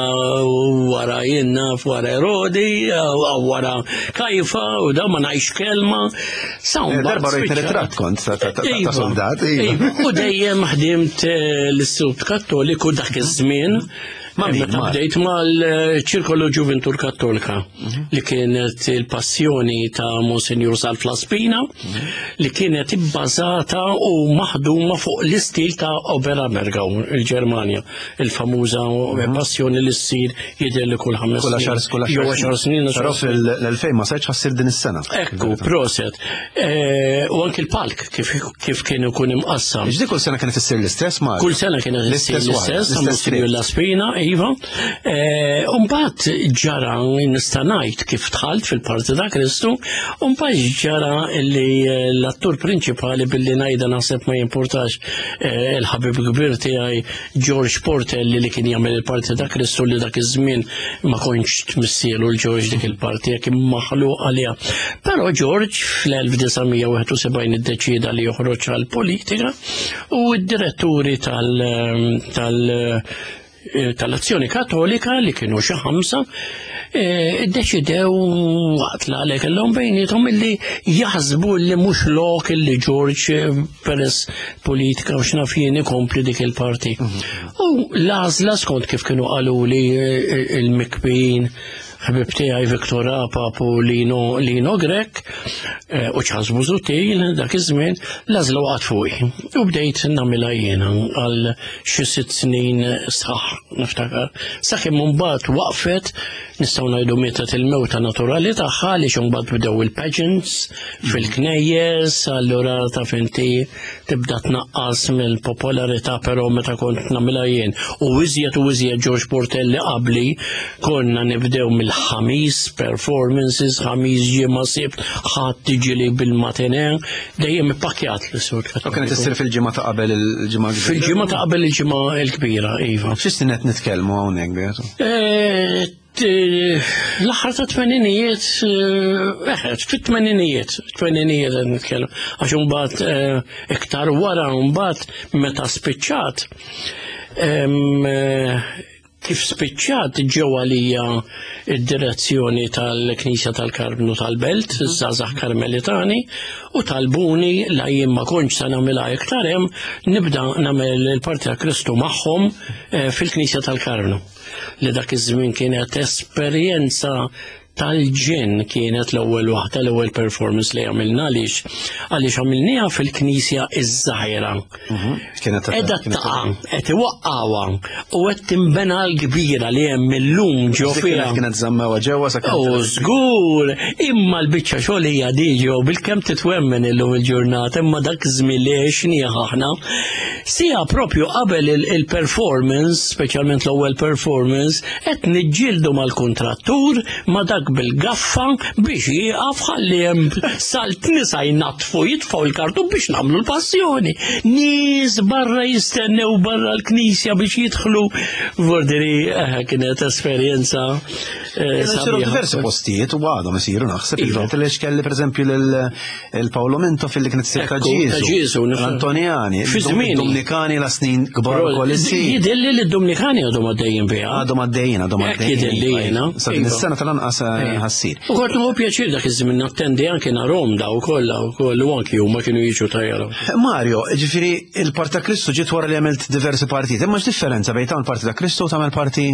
wara jien naf wara Erodi, u wara Kajfa, u da ma ngħidx kelma. Sa mbagħad Darba rajt spiċċat. ritratt kont ta' Iva, soldat, iva. iva. U dejjem ħdimt l-Istitut Kattoliku dak iż-żmien. Ma' min, Meta ma' bdejt mal-Ċirkolu Ġuventur Kattolika li kienet il-passjoni ta' Monsinjur Salv Laspina li kienet ibbażata u maħduma fuq l-istil ta' Oberammergau, il-Ġermanja, il-famuża passjoni li ssir jidher li kull 5 Kull għaxar snin. kull Jew għaxar 10 snin, Però għaxar snin. fil-2000 ma sarx ħassir din is-sena. Ekku, proset. U anki l-palk kif kien ikun imqassam. Ġdi kull sena kienet issir l-istess ma? Kull sena kienet issir L-istess waħda, l-istess, ta' l-istess Monsinjur script. Laspina, iva. Umbagħad ġara nista' ngħid kif dħalt fil-parti ta' Kristu, umbagħad ġara li l-attur prinċipali billi ngħidha naħseb ma jimpurtax il-ħabib kbir tiegħi George Portelli li kien jagħmel il-parti ta' Kristu li dak iż-żmien ma kontx tmissielu l-George dik il-parti jekk maħluq għaliha. Però George fl-1971 iddeċieda li joħroġ għall-politika u d-diretturi tal-Azzjoni Kattolika li kienu xi 5 iddeċidew waqt li kellhom bejniethom illi jaħsbu li mhux lok illi George peress politika u x'naf jien ikompli dik il-parti. U l-għażla skont kif kienu qalu li il-mikbin ħbib tiegħi Viktor Apap u Lino Grech u Charles Busuttil dak iż-żmien, l-għażla waqgħet fuqi. U bdejt nagħmilha jiena għal xi 6 snin sħaħ niftakar. Sakemm imbagħad waqfet, nistgħu ngħidu mietet il-mewta naturali tagħha għaliex imbagħad bdew il-pageants fil-knejjes, allura taf inti tibda tnaqqas mill-popolarità, però meta kont nagħmilha jien. U iżjed u iżjed George Portelli qabli konna nibdew mill-ħamis performances, ħamis ġimgħa sibt, ħadd tiġi li bil-matine, dejjem ippakjat l-Istitut U kienet Kattoliku. issir fil-ġimgħa ta' qabel il-ġimgħa l-kbira? Fil-ġimgħa ta' qabel il-ġimgħa l-kbira, iva. Xi snin qed nitkellmu hawnhekk, Beatu? L-aħħar ta' tmeninijiet, fit-tmeninijiet, tmeninijiet qed nitkellem. Għax imbagħad iktar wara mbagħad meta spiċċat, kif spiċċat ġew għalija id-direzzjoni tal-Knisja tal-Karmnu tal-Belt, iż-Żgħażagħ Karmelitani, u talbuni la jien ma kontx se nagħmilha iktar hemm, nibda nagħmel il-parti ta' Kristu magħhom fil-Knisja tal-Karmnu. Li dak iż-żmien kienet esperjenza tal-ġen, kienet l-ewwel waħda, l-ewwel performance li għamilna għaliex għaliex għamilniha fil-Knisja iż-Żgħira. Kienet Edha kienet taqa', qed iwaqqawha u qed tinbena l-kbira li hemm illum ġo Dik fiha. Kienet żammewha ġewwa sa kienet U żgur, imma l-biċċa xogħol hija diġo bil-kemm titwemmen illum il-ġurnata, imma dak iż-żmien li għexnieh aħna. Sija propju qabel il-performance, speċjalment l-ewwel performance, qed niġġieldu mal-kuntrattur, ma dak dak bil-gaffa biex jieqaf ħalli hemm salt nisa jnaddfu jitfgħu l-kartun biex nagħmlu l-passjoni. Nies barra jistennew barra l-knisja biex jidħlu. Vordiri eh, kienet esperjenza. Eh, Isiru diversi postijiet u għadhom isiru naħseb iva. il-vert li xkelli pereżempju lil Paolo Minto fil-li kienet issir ta' Ġieżu, l-Antonjani, Fi żmien. Dominikani la snin kbar ukoll issir. Jidilli li d-Dominikani għadhom għaddejjin biha. Għadhom għaddejjin, għadhom għaddejjin. Jidilli iva. jiena. Sa din iva. is-sena tal-anqas eh, ħassir. U kont nieħu pjaċir dak iż-żmien nattendi anke narhom daw kollha wkoll u anki huma kienu jiġu tajjara. Mario, ġifieri il-Parti ta' Kristu ġiet wara li għamilt diversi partijiet. Imma x'differenza bejn tagħmel parti ta' Kristu u tagħmel parti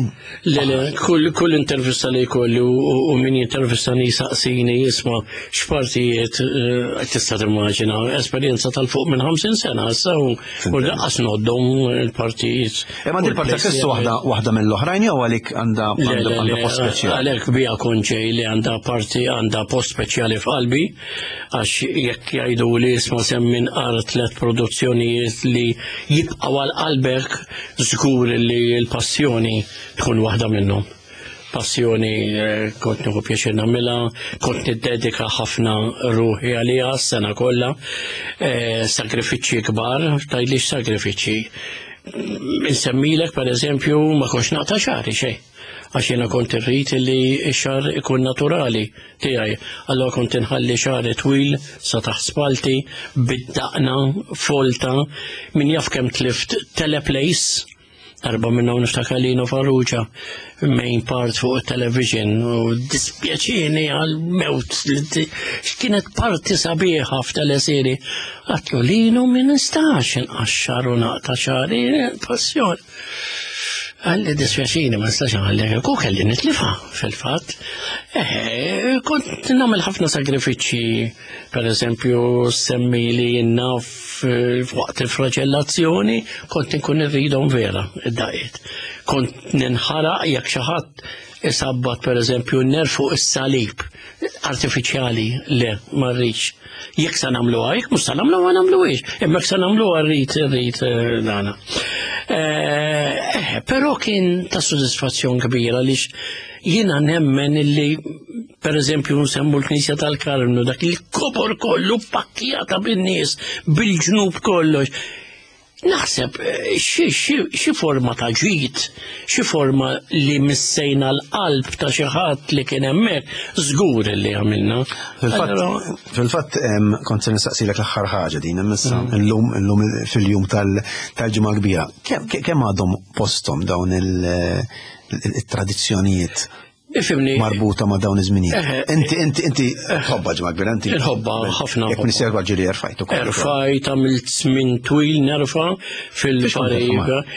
Le, le, kull, kull intervista li jkolli u min jintervistani jisaqsini jisma' x'partijiet eh, tista' timmaġina esperjenza tal-fuq minn 50 sena issa u u laqqas noddhom il-partijiet. Imma din parti ta' Kristu waħda waħda mill-oħrajn jew għalik għandha Le, għandha le, għandha le, post speċjali. Għalhekk bija konċej li għandha parti għandha post speċjali f'qalbi għax jekk jgħidu li isma' semmi nqar tliet produzzjonijiet li jibqgħu għal qalbek żgur li l-passjoni tkun waħda minnhom. Passjoni eh, kont nieħu pjaċir nagħmilha, kont niddedika ħafna ruħi għaliha s-sena kollha, eh, sagrifiċċji kbar, tgħidlix sagrifiċċji. Insemmilek per eżempju ma kontx naqta' xagħri xejn għax jiena kont irrid li x-xagħar ikun naturali tiegħi. Allora kont inħalli xagħri twil sa taħt spalti, bid-daqna, folta, min jaf kemm tlift teleplays, darba minnhom niftakar Lino Farrugia, main part fuq it-television u dispjaċini għal mewt li kienet parti sabiħa f'teleseri. Għatlu Lino min nistax inqaxxar u naqta' xagħri, passjoni. Għalli dispjaċini ma nistax nħallek, ku kelli nitlifa fil-fatt. Eh, kont nagħmel ħafna sagrifiċċji, per eżempju, semmi li jinnaf waqt il-flagellazzjoni, kont inkun irridhom vera id-daqiet. Kont ninħaraq jekk xi ħadd isabbat per eżempju n-ner fuq is-salib artifiċjali le ma rridx. Jekk se nagħmluha, jekk mhux se nagħmluha ma nagħmluhiex, imma jekk se nagħmluha rrid rrid eh, dana. Eh, eh, però kien ta' sodisfazzjon kbira għaliex jiena nemmen illi per eżempju nsemmu l-Knisja tal-Karmnu dak il-kobor kollu pakkjata bin-nies bil-ġnub kollox. Naħseb eh, xi forma ta' ġid, xi forma li missejna l-qalb ta' xi ħadd li kien hemmhekk, żgur li għamilna. Fil-fatt kont se nistaqsilek l-aħħar ħaġa din issa mm. illum illum fil-jum tal-ġimgħa kbira. Kemm għadhom posthom dawn il-tradizzjonijiet Ifimni. Marbuta ma' dawn iż-żminijiet. Inti inti inti tħobba ġimgħa kbira inti. Inħobba ħafna. Jekk nisir ġiri erfajt ukoll. Erfajt għamilt żmien twil nerfa fil-vari.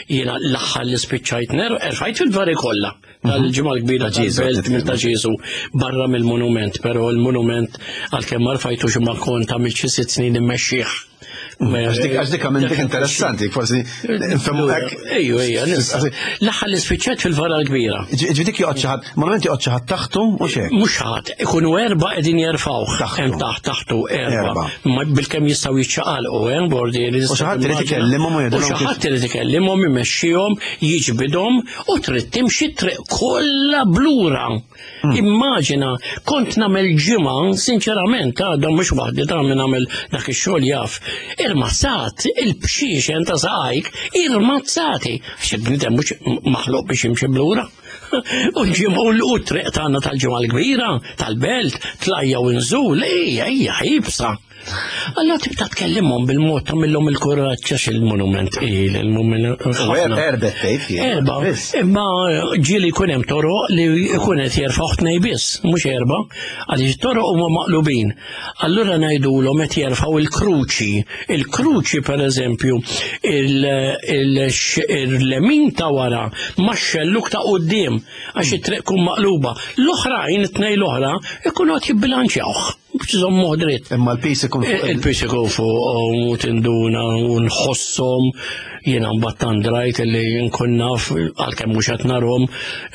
Jiena l-aħħar li spiċċajt nerfa, erfajt fil-vari kollha. Mhm. Tal-ġimgħa l-kbira tal-belt minn ta' Ġieżu barra mill-monument, però l-monument għalkemm ma rfajtux ma kont għamilt xi sitt snin immexxih. Għax dik minn dik interessanti, forsi nfhemu hekk. Ejju, ejju, l-aħħar li spiċċat fil-vara l-kbira. Ġifieri dik joqgħod xi ħadd, monument joqgħod xi ħadd taħtu u xejn. Mhux ħadd, ikunu erba' qegħdin jerfgħuh. Hemm taħt taħtu erba'. Bilkemm jistgħu jiċċaqalqu, hemm eh, bordi li U xi ħadd irid ikellimhom u jgħidilhom. U xi ħadd irid ikellimhom, imexxihom, jiġbidhom u trid timxi triq kollha blura. Hmm. Immaġina, kont nagħmel ġimgħa, sinċerament, ta' dan mhux waħdi ta' min nagħmel dak ix-xogħol jaf. Irmazzat, il-bxiexen ta' saqajk, irmazzati. Għax il-bniedem mhux maħluq biex jimxi blura. U l-ġimgħa u t-triq tagħna tal-ġimgħa l-kbira, tal-belt, tlajja u nżul, ejja, ejja, ħibsa. Allora tibda tkellimhom bil-mod tagħmilhom il-kuraġġ għax il-monument il il-monument. Erba tgħid. Erba. Imma ġieli jkun hemm toroq li jkun qed jerfgħu tnej biss, mhux erba, għaliex toroq huma maqlubin. Allura ngħidulhom qed jerfgħu il-kruċi. Il-kruċi pereżempju il-lemin ta' wara ma' xelluk ta' quddiem għax it-triq kun maqluba. L-oħrajn, it-tnej l-oħra, ikunu qed jibbilanċjawh. Biex iżommuh dritt. Imma l-pis ikun fuq. Il-pis ikun fuq u tinduna u nħossom jiena mbagħad tandrajt li nkun naf għalkemm mhux qed narhom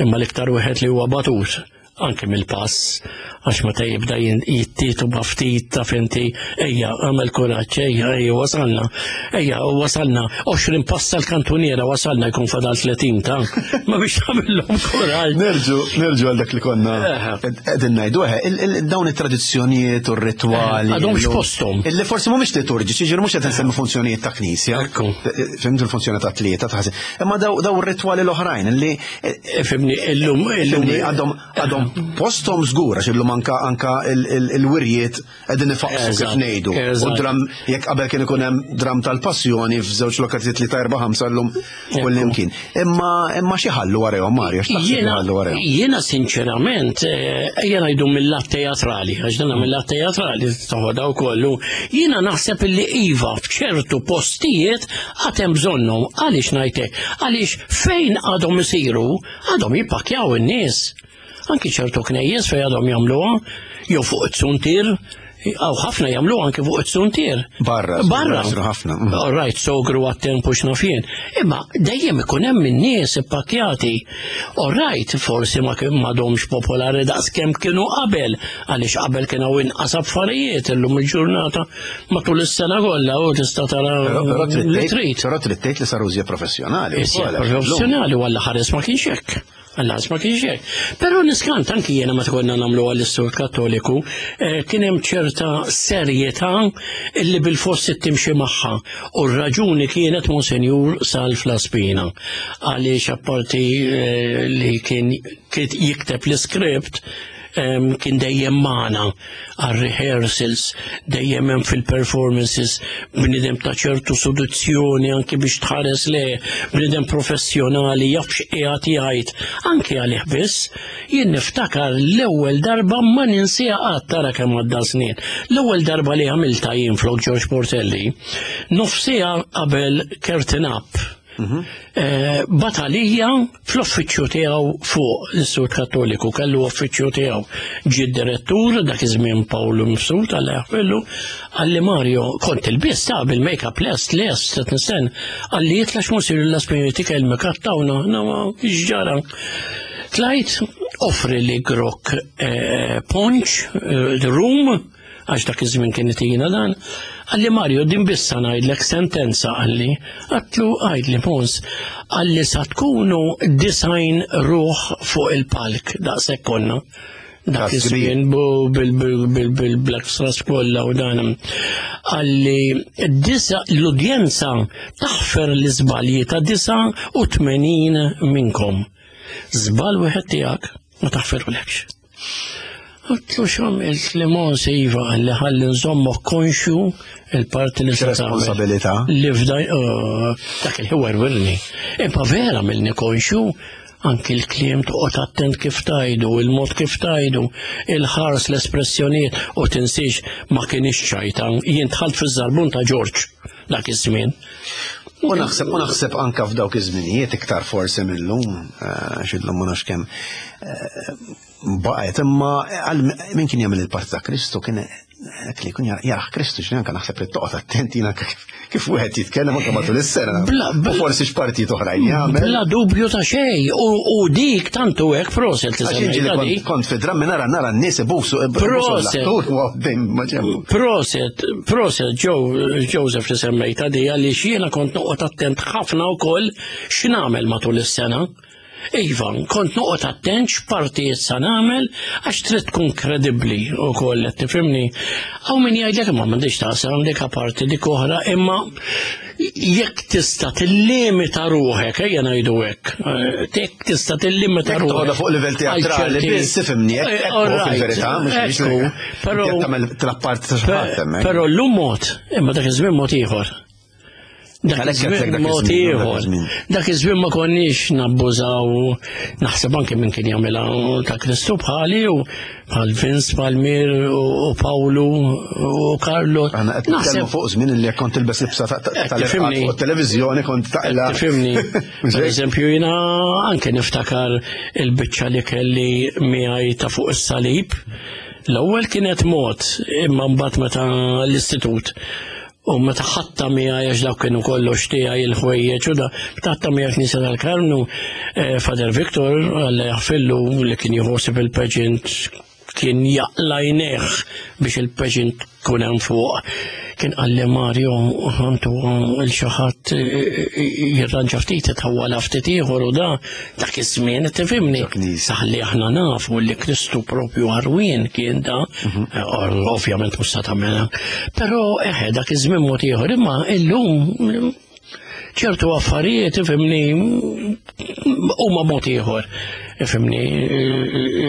imma l-iktar wieħed li huwa batut. anke mill-pass, għax meta jibda jittietu b'ftit ta' finti, ejja, għamel kuraġġ, ejja, ejja, wasalna, ejja, wasalna, 20 pass tal-kantuniera wasalna jkun fadal 30 ta' ma biex tagħmilhom kuraġġ. Nerġu, nerġu għal dak li konna qegħdin ngħidu, dawn it-tradizzjonijiet u r-ritwali. Għadhomx posthom. Illi forsi mhumiex liturġiċi, ġifieri mhux qed nsemmi funzjonijiet ta' knisja. Fhimt il-funzjoni ta' tlieta ta' Imma daw ir-ritwali l-oħrajn li Fimni, illum, illum. Għadhom, għadhom posthom żgur għax illum anka anka il-wirjiet qegħdin ifaqsu kif ngħidu. U dram jekk qabel kien ikun hemm dram tal-passjoni f'żewġ lokalijiet li ta' erba' ħamsa llum kullimkien. Imma imma xi ħallu warahom Mario, x'taħseb li ħallu warahom? Jiena sinċerament eh, ejja ngħidu mill-lat teatrali, għax dan mill-lat teatrali toħodha wkoll. Jiena naħseb li iva f'ċertu postijiet għad hemm bżonnhom. Għaliex ngħidlek? Għaliex fejn għadhom isiru, għadhom jippakjaw in-nies. Anki ċertu knejjes fejn għadhom jagħmluha, jew fuq it-suntier, għaw ħafna jagħmlu anki fuq it-suntier. Barra. Barra. ħafna. Mm. All right, sogru għat-tempu x'nafjen. Imma dejjem ikun hemm in-nies ippakkjati. All right, forsi ma kien m'għadhomx popolari daqs kemm kienu qabel, għaliex qabel kien hawn inqas affarijiet illum il-ġurnata matul is-sena kollha u tista' tara li trid. Però trid tgħid li saru żjed professjonali. Professjonali u għalla ħares ma kienx hekk. Għalla ma kienx hekk. Però niskant anki jiena meta konna nagħmlu għall-istur Kattoliku, eh, kien hemm ċerta serjetà illi bil-fossi timxi magħha. U r-raġuni kienet Monsenjur Salv Laspina. Għaliex apparti eh, li kien jikteb l-iskript, kien dejjem magħna għal rehearsals, dejjem hemm fil-performances, bniedem ta' ċertu soluzzjoni anki biex tħares le, bniedem professjonali jaf x'qiegħed jgħid, anki għalih biss, jien niftakar l-ewwel darba ma ninsiha qatt tara kemm għadda snin. L-ewwel darba li għamilta jien flok George Portelli, nofsija qabel curtain up Mhm. Eh, batalija fl-uffiċċju tiegħu fuq l-Istitut Kattoliku kellu uffiċċju tiegħu. Ġie direttur dak iż-żmien Pawlu Mifsud għal jaħfillu għalli Mario kont il-biss ta' bil-make-up lest lest qed nistenn għalli jitlax musir l-aspiriti kelmek għattawna nama x'ġara. Tlajt offri li grok eh, punch, eh, room, għax dak iż-żmien kien itina dan, qalli Mario din bissa ngħidlek sentenza qalli, għatlu għajdli Mons, qalli sa tkunu design ruħ fuq il-palk daqshekk konna. Dak iż-żmien bil-Black Stars kollha u dan. Qalli disa l-udjenza taħfer l-iżbalji ta' 89 minnkom. Żball wieħed tiegħek ma taħferulekx. Għatlu x'għamilt li Mons iva li ħalli nżommok konxju il-parti li se Responsabilità. Li f'daj oh, dak il-ħiwer wirni. Imma vera milni konxju anki l-kliem toqgħod attent kif tajdu, il-mod kif tajdu, il-ħars l-espressjonijiet u tinsiex ma kienx ċajta. Jien dħalt fiż-żarbun ta' Ġorġ dak iż-żmien. U naħseb u naħseb anka f'dawk iż-żminijiet iktar forsi mill-lum, eh, x'illum ma nafx kemm eh, baqgħet imma għal min kien jagħmel il-parti ta' Kristu kien hekk li jkun jarah Kristu x'li anke naħseb li toqgħod attenti kif wieħed jitkellem anke matul is-sena. U forsi x'partijiet oħrajn jagħmel. Bla dubju ta' xejn u dik tantu hekk proset li Kont fi drammi nara nara n-nies ibusu Proset. Proset, proset Joseph li semmejta di għaliex jiena kont noqgħod attent ħafna wkoll x'nagħmel matul is-sena. Iva, kont noqgħod attent x'partijiet sa nagħmel għax trid tkun kredibbli wkoll qed tifhimni. Hawn min jgħidlek imma m'għandix taqsam dik parti dik oħra, imma jekk tista' tillimita ruħek, ejja ngħidu hekk, eh, jekk tista' tillimita ruħek. Toqgħodha fuq livell teatrali biss tifhimni, hekk fil-verità, mhux però tagħmel trappart ta' xi ħadd hemmhekk. Però llum mod, imma dak iż-żmien mod ieħor. Dak iż-żmien mod ieħor. Dak iż-żmien ma konniex nabbużaw, naħseb anke minn kien jagħmilha ta' Kristu bħali u bħal Vince Palmier u Pawlu u Carlo. Aħna qed nitkellmu fuq żmien li kont tilbes libsa tal-fuq televiżjoni kont taqla. Tifhimni. Per eżempju jiena anke niftakar il-biċċa li kelli miegħi ta' fuq is-salib. L-ewwel kienet mod imma mbagħad meta l-istitut. U meta ħatta miegħi għax dawk kienu kollox tiegħi il-ħwejjeġ u da, meta ħatta miegħi knisja tal-Karmnu, eh, Father Victor għalla jaħfillu li kien jħossib il-pageant kien jaqla jneħ biex il-pageant kun hemm fuq. Kien qalli Mario għandu il xi ħadd eh, eh, jirranġa ftit itħawwala ftit ieħor u da dak iż-żmien tifhimni. Saħli aħna nafu li Kristu propju għarwien kien da, mhm. eh, ovvjament mhux sa tagħmilha. Però eħe dak iż-żmien mod ieħor imma illum ċertu affarijiet ifhimni huma mod ieħor. Ifhimni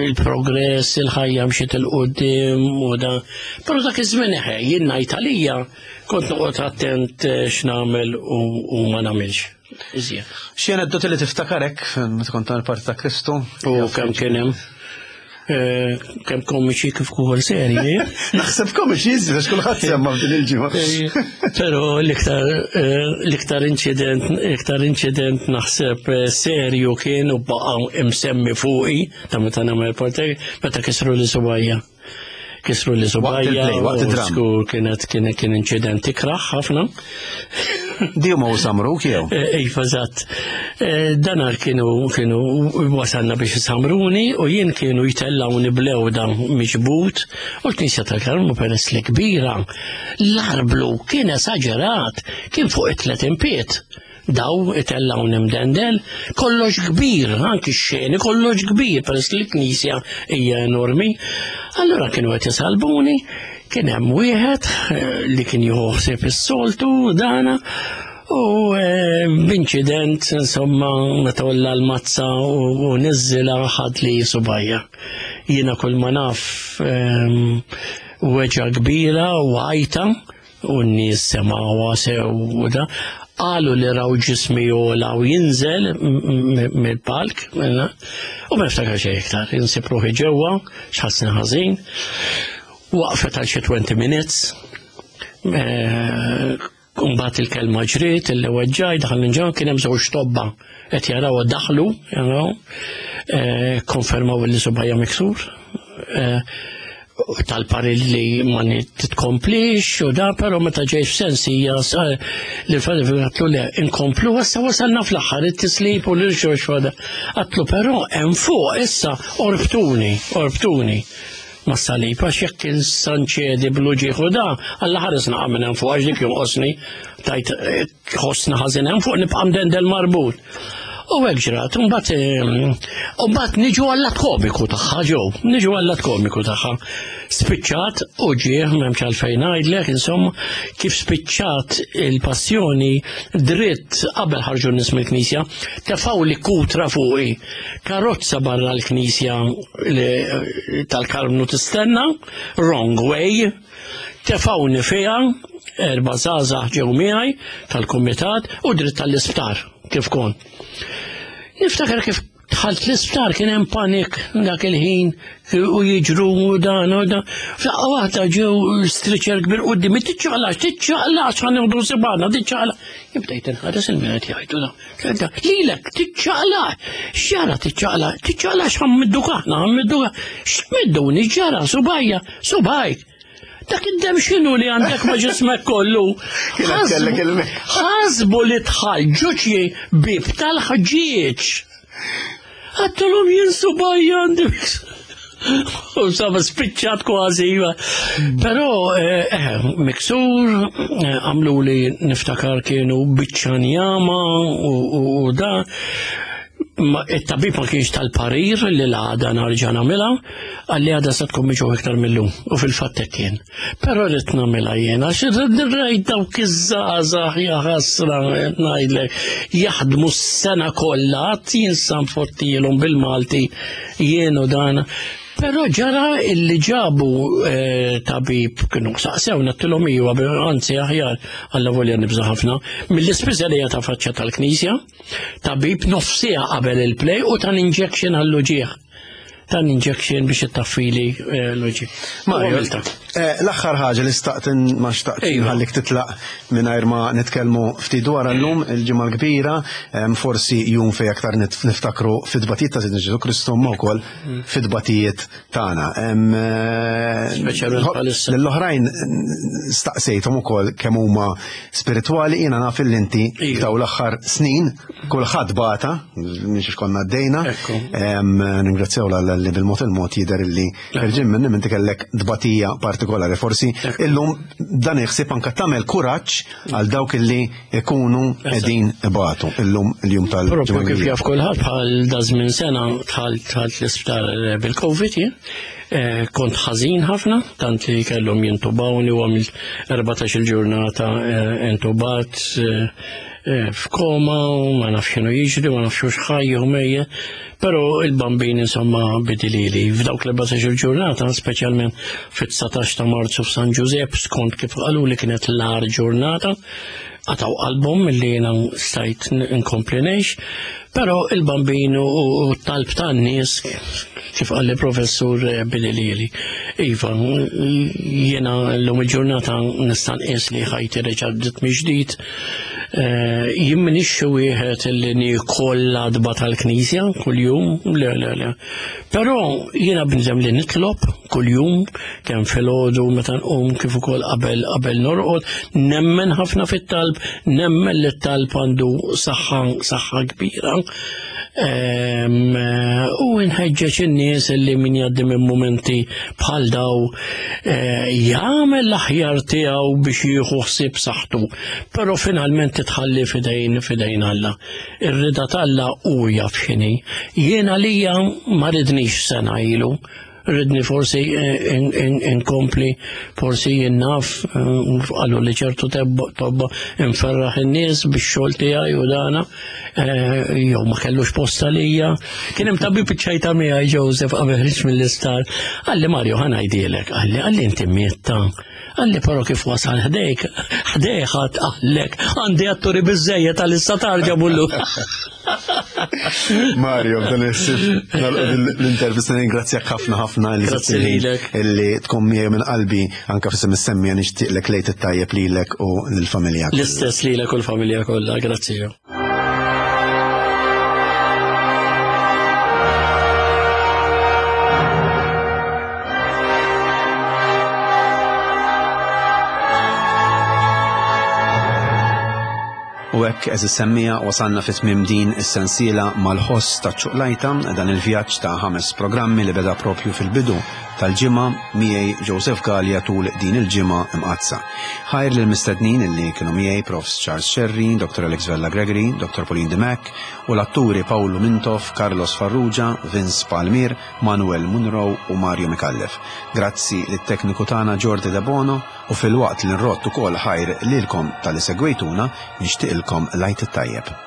il-progress, il-ħajja mxiet il-qudiem u da. Però dak iż-żmien eħe jien ngħid għalija kont noqgħod attent eh, x'nagħmel u ma nagħmilx. Iżjed. Xi aneddoti li tiftakarek meta kont tagħmel parti ta' Kristu? U kemm kien hemm eh, kemm komiċi kif ukoll serji. Naħseb komiċi iżjed għax kulħadd semma f'din il-ġimgħa. Eh, però l-iktar eh, l-iktar inċident iktar inċident naħseb serju kien u baqa' imsemmi fuqi ta' meta nagħmel parti meta kisru li subajja. Kisru li subajja. Waqt id-dram. Skur kienet kien kien inċident ikraħ ħafna. Di huma u samruk jew? Eh, iva, eżatt. Eh, danar kienu kienu wasalna biex isamruni u jien kienu jtellawni blewda miġbut u l-Knisja tal-Karmnu peress li kbira. L-arblu kien esaġerat, kien fuq it-tlet impiet. Daw itellgħuni mdendel, kollox kbir, anki x-xeni kollox kbir, peress li l-knisja hija enormi. Allura kienu qed isalbuni, kien hemm wieħed eh, li kien jieħu ħsieb is-soltu dana u eh, b'inċident insomma meta olla l-mazza u niżżilha ħad li subajja. Jiena kull ma naf ehm, weġa kbira u għajta u n-nies semgħuha sew u da, qalu li raw ġismi jola u jinżel mill-palk, u ma niftakar xejn iktar, insib ruħi ġewwa, x'ħassni ħażin, waqfet għal xi 20 minutes, eh, Kumbat il-kelma ġriet, il weġġaj, daħal ġewwa kien hemm żewġ tobba qed jaraw daħlu, jaraw, eh, konfermaw li subajja miksur. Eh, tal-parir li ma titkomplix u da, pero meta ġej f'sensi hija li l-fadri għatlu le, inkomplu, issa wasalna fl-aħħar it-tislib u l-irxox fada. Għatlu però hemm fuq issa orbtuni, orbtuni ma salib għax jekk insanċedi bl-uġieħ u da, għalla ħares naqa' minn hemm fuq għax dik jonqosni tajt eh, ħossna ħażin hemm fuq nibqa' mdendel marbut. U hekk ġrat, mbagħad eh, mbagħad niġu għall-att komiku tagħha ġew, niġu għall-att komiku tagħha. Spiċċat u ġieħ m'hemmx għalfejn ngħidlek, insomma, kif spiċċat il-passjoni dritt qabel ħarġu n-nies mill-knisja, tefgħu li kutra fuqi. Karozza barra l-knisja tal-Karmnu tistenna, wrong way, Tefgħuni fiha, erba' żgħażagħ ġew miegħi tal-kumitat u dritt tal-isptar kif kont. Niftakar kif dħalt l-isptar kien hemm panik dak il-ħin u jiġru u dan u dan. F'daqqa waħda ġew striċer kbir qudiem, tiċċaqlax, tiċċaqlax ħa nieħdu sibana, tiċċaqlax. Jibdejt inħares il-meret jgħidu da. Lilek, tiċċaqlax, x'ġara tiċċaqlax, tiċċaqlax ħammidduk aħna, ħammidduk, x'midduni ġara, subajja, subajk. Dak id-dem x'inhu li għandek ma' ġismek kollu? Ħasbu li tħal ġuċi bib tal-ħġieġ. Għattulhom jien subajja għandi. U sama spiċċat kważi. Iva. Però eh, eh, miksur, eh, għamlu li niftakar kienu biċċa njama u da. It-tabib ma kienx tal-parir li l-għada narġa' nagħmilha, għalli għada se tkun miġu iktar mill-lum u fil-fatt hekk kien. Però rrid nagħmilha jien għax rajt dawk iż-żgħażagħ ja ħasra ngħidlek jaħdmu s-sena kollha għad jinsa nfottilhom bil-Malti jien u dan. Però ġara illi ġabu eh, tabib kienu saqsew nattilhom iwa anzi aħjar alla volja nibża ħafna mill-ispiżerija ta' faċċa tal-knisja tabib nofsija qabel il-play u tan injection għall-uġieħ. tan injection biex ittaffili eh, l-uġi. Mario, eh, l-aħħar ħaġa li staqt ma xtaqt iva. ħallik titlaq mingħajr ma nitkellmu ftit dwar llum il-ġimgħa l-kbira, forsi jum fej aktar niftakru fit-tbatijiet ta' Sidna Ġesu Kristu ma wkoll mm. fit-tbatijiet tagħna. Eh, l-oħrajn staqsejthom ukoll kemm huma spiritwali jiena naf li inti iva. daw l-aħħar snin Kulħadd bata, mhix konna għaddejna. Ningrazzjaw l li bil-mod il-mod jidher illi ħerġin minn inti kellek dbatija partikolari. Forsi illum dan iħsib anka tagħmel kuraġġ għal dawk illi ikunu qegħdin ibatu illum il-jum tal Propju kif jaf kulħadd bħal da żmien sena dħalt l-isptar eh, bil-Covid jien. Eh, kont ħażin ħafna, tant li kellhom jintubawni u għamilt 14 il-ġurnata eh, intubat Eh, f'koma u ma nafx x'inhu jiġri, ma nafx hux ħaj jew mejje, però il-bambin insomma bidilili. F'dawk l-14 il-ġurnata, speċjalment fit-19 ta' Marzu f'San Ġużepp, skont kif qalu li kienet l-ar ġurnata, għataw qalbhom li jiena stajt nkompli ngħix, però il-bambin u t-talb tan-nies kif qalli professur eh, Billy Lili. Iva, jiena l-lum il-ġurnata nista' nqis li ħajti reġa' bdiet mill-ġdid Eh, jien m'iniex xi wieħed li niekol l-adba tal-knisja kuljum, le le le. Però jiena bniedem li nitlob kuljum kemm filgħodu meta nqum kif ukoll qabel qabel norqod, nemmen ħafna fit-talb, nemmen li t-talb għandu saħħa saħħa kbira. Ehm, u nħeġġeġ in-nies li min jgħaddi minn mumenti bħal daw eh, jagħmel l-aħjar tiegħu biex jieħu ħsieb saħħtu, però finalment titħalli fidejn fidejn Alla. Ir-rida t'Alla hu jaf x'inhi. Jien għalija ma ridnix sena ilu, ridni forsi eh, inkompli, forsi jien naf, eh, qalu li ċertu tobba inferraħ in-nies bix-xogħol tiegħi u dana, eh, jew ma kellux posta lija. Kien hemm tabib iċċajta miegħi Joseph qabel ħriġ mill-isptar. Qalli Mario ħa ngħidilek, qalli qalli inti mietta. Qalli però kif wasal ħdejk, ħdejk ħadd qallek, għandi atturi biżejjed għal-issa tarġa' bullu. Mario, b'dan il-sif, l-intervista ningrazzjak ħafna ħafna li Grazzi lilek. Illi tkun miegħi minn qalbi anka f'isem is-semmija nixtieqlek lejt it-tajjeb lilek u lill-familja. L-istess lilek u l-familja kollha, grazzi. U hekk eżis semmija wasalna fi tmiem din is-sensiela mal-ħoss ta' ċuqlajta dan il-vjaġġ ta' ħames programmi li beda propju fil-bidu tal-ġimgħa miegħi Joseph Galea tul din il-ġimgħa imqaddsa. Ħajr lill-mistednin illi kienu miegħi Profs Charles Scerri, Dr. Alex Vella Gregory, Dr. Pauline Dimech u l-atturi Pawlu Mintoff, Carlos Farrugia, Vince Palmier, Manuel Munroe u Mario Micallef. Grazzi lit-tekniku tagħna Jordi Debono u filwaqt li nrodd ukoll ħajr lilkom talli segwejtuna, nixtieqilkom l-Għid it-Tajjeb.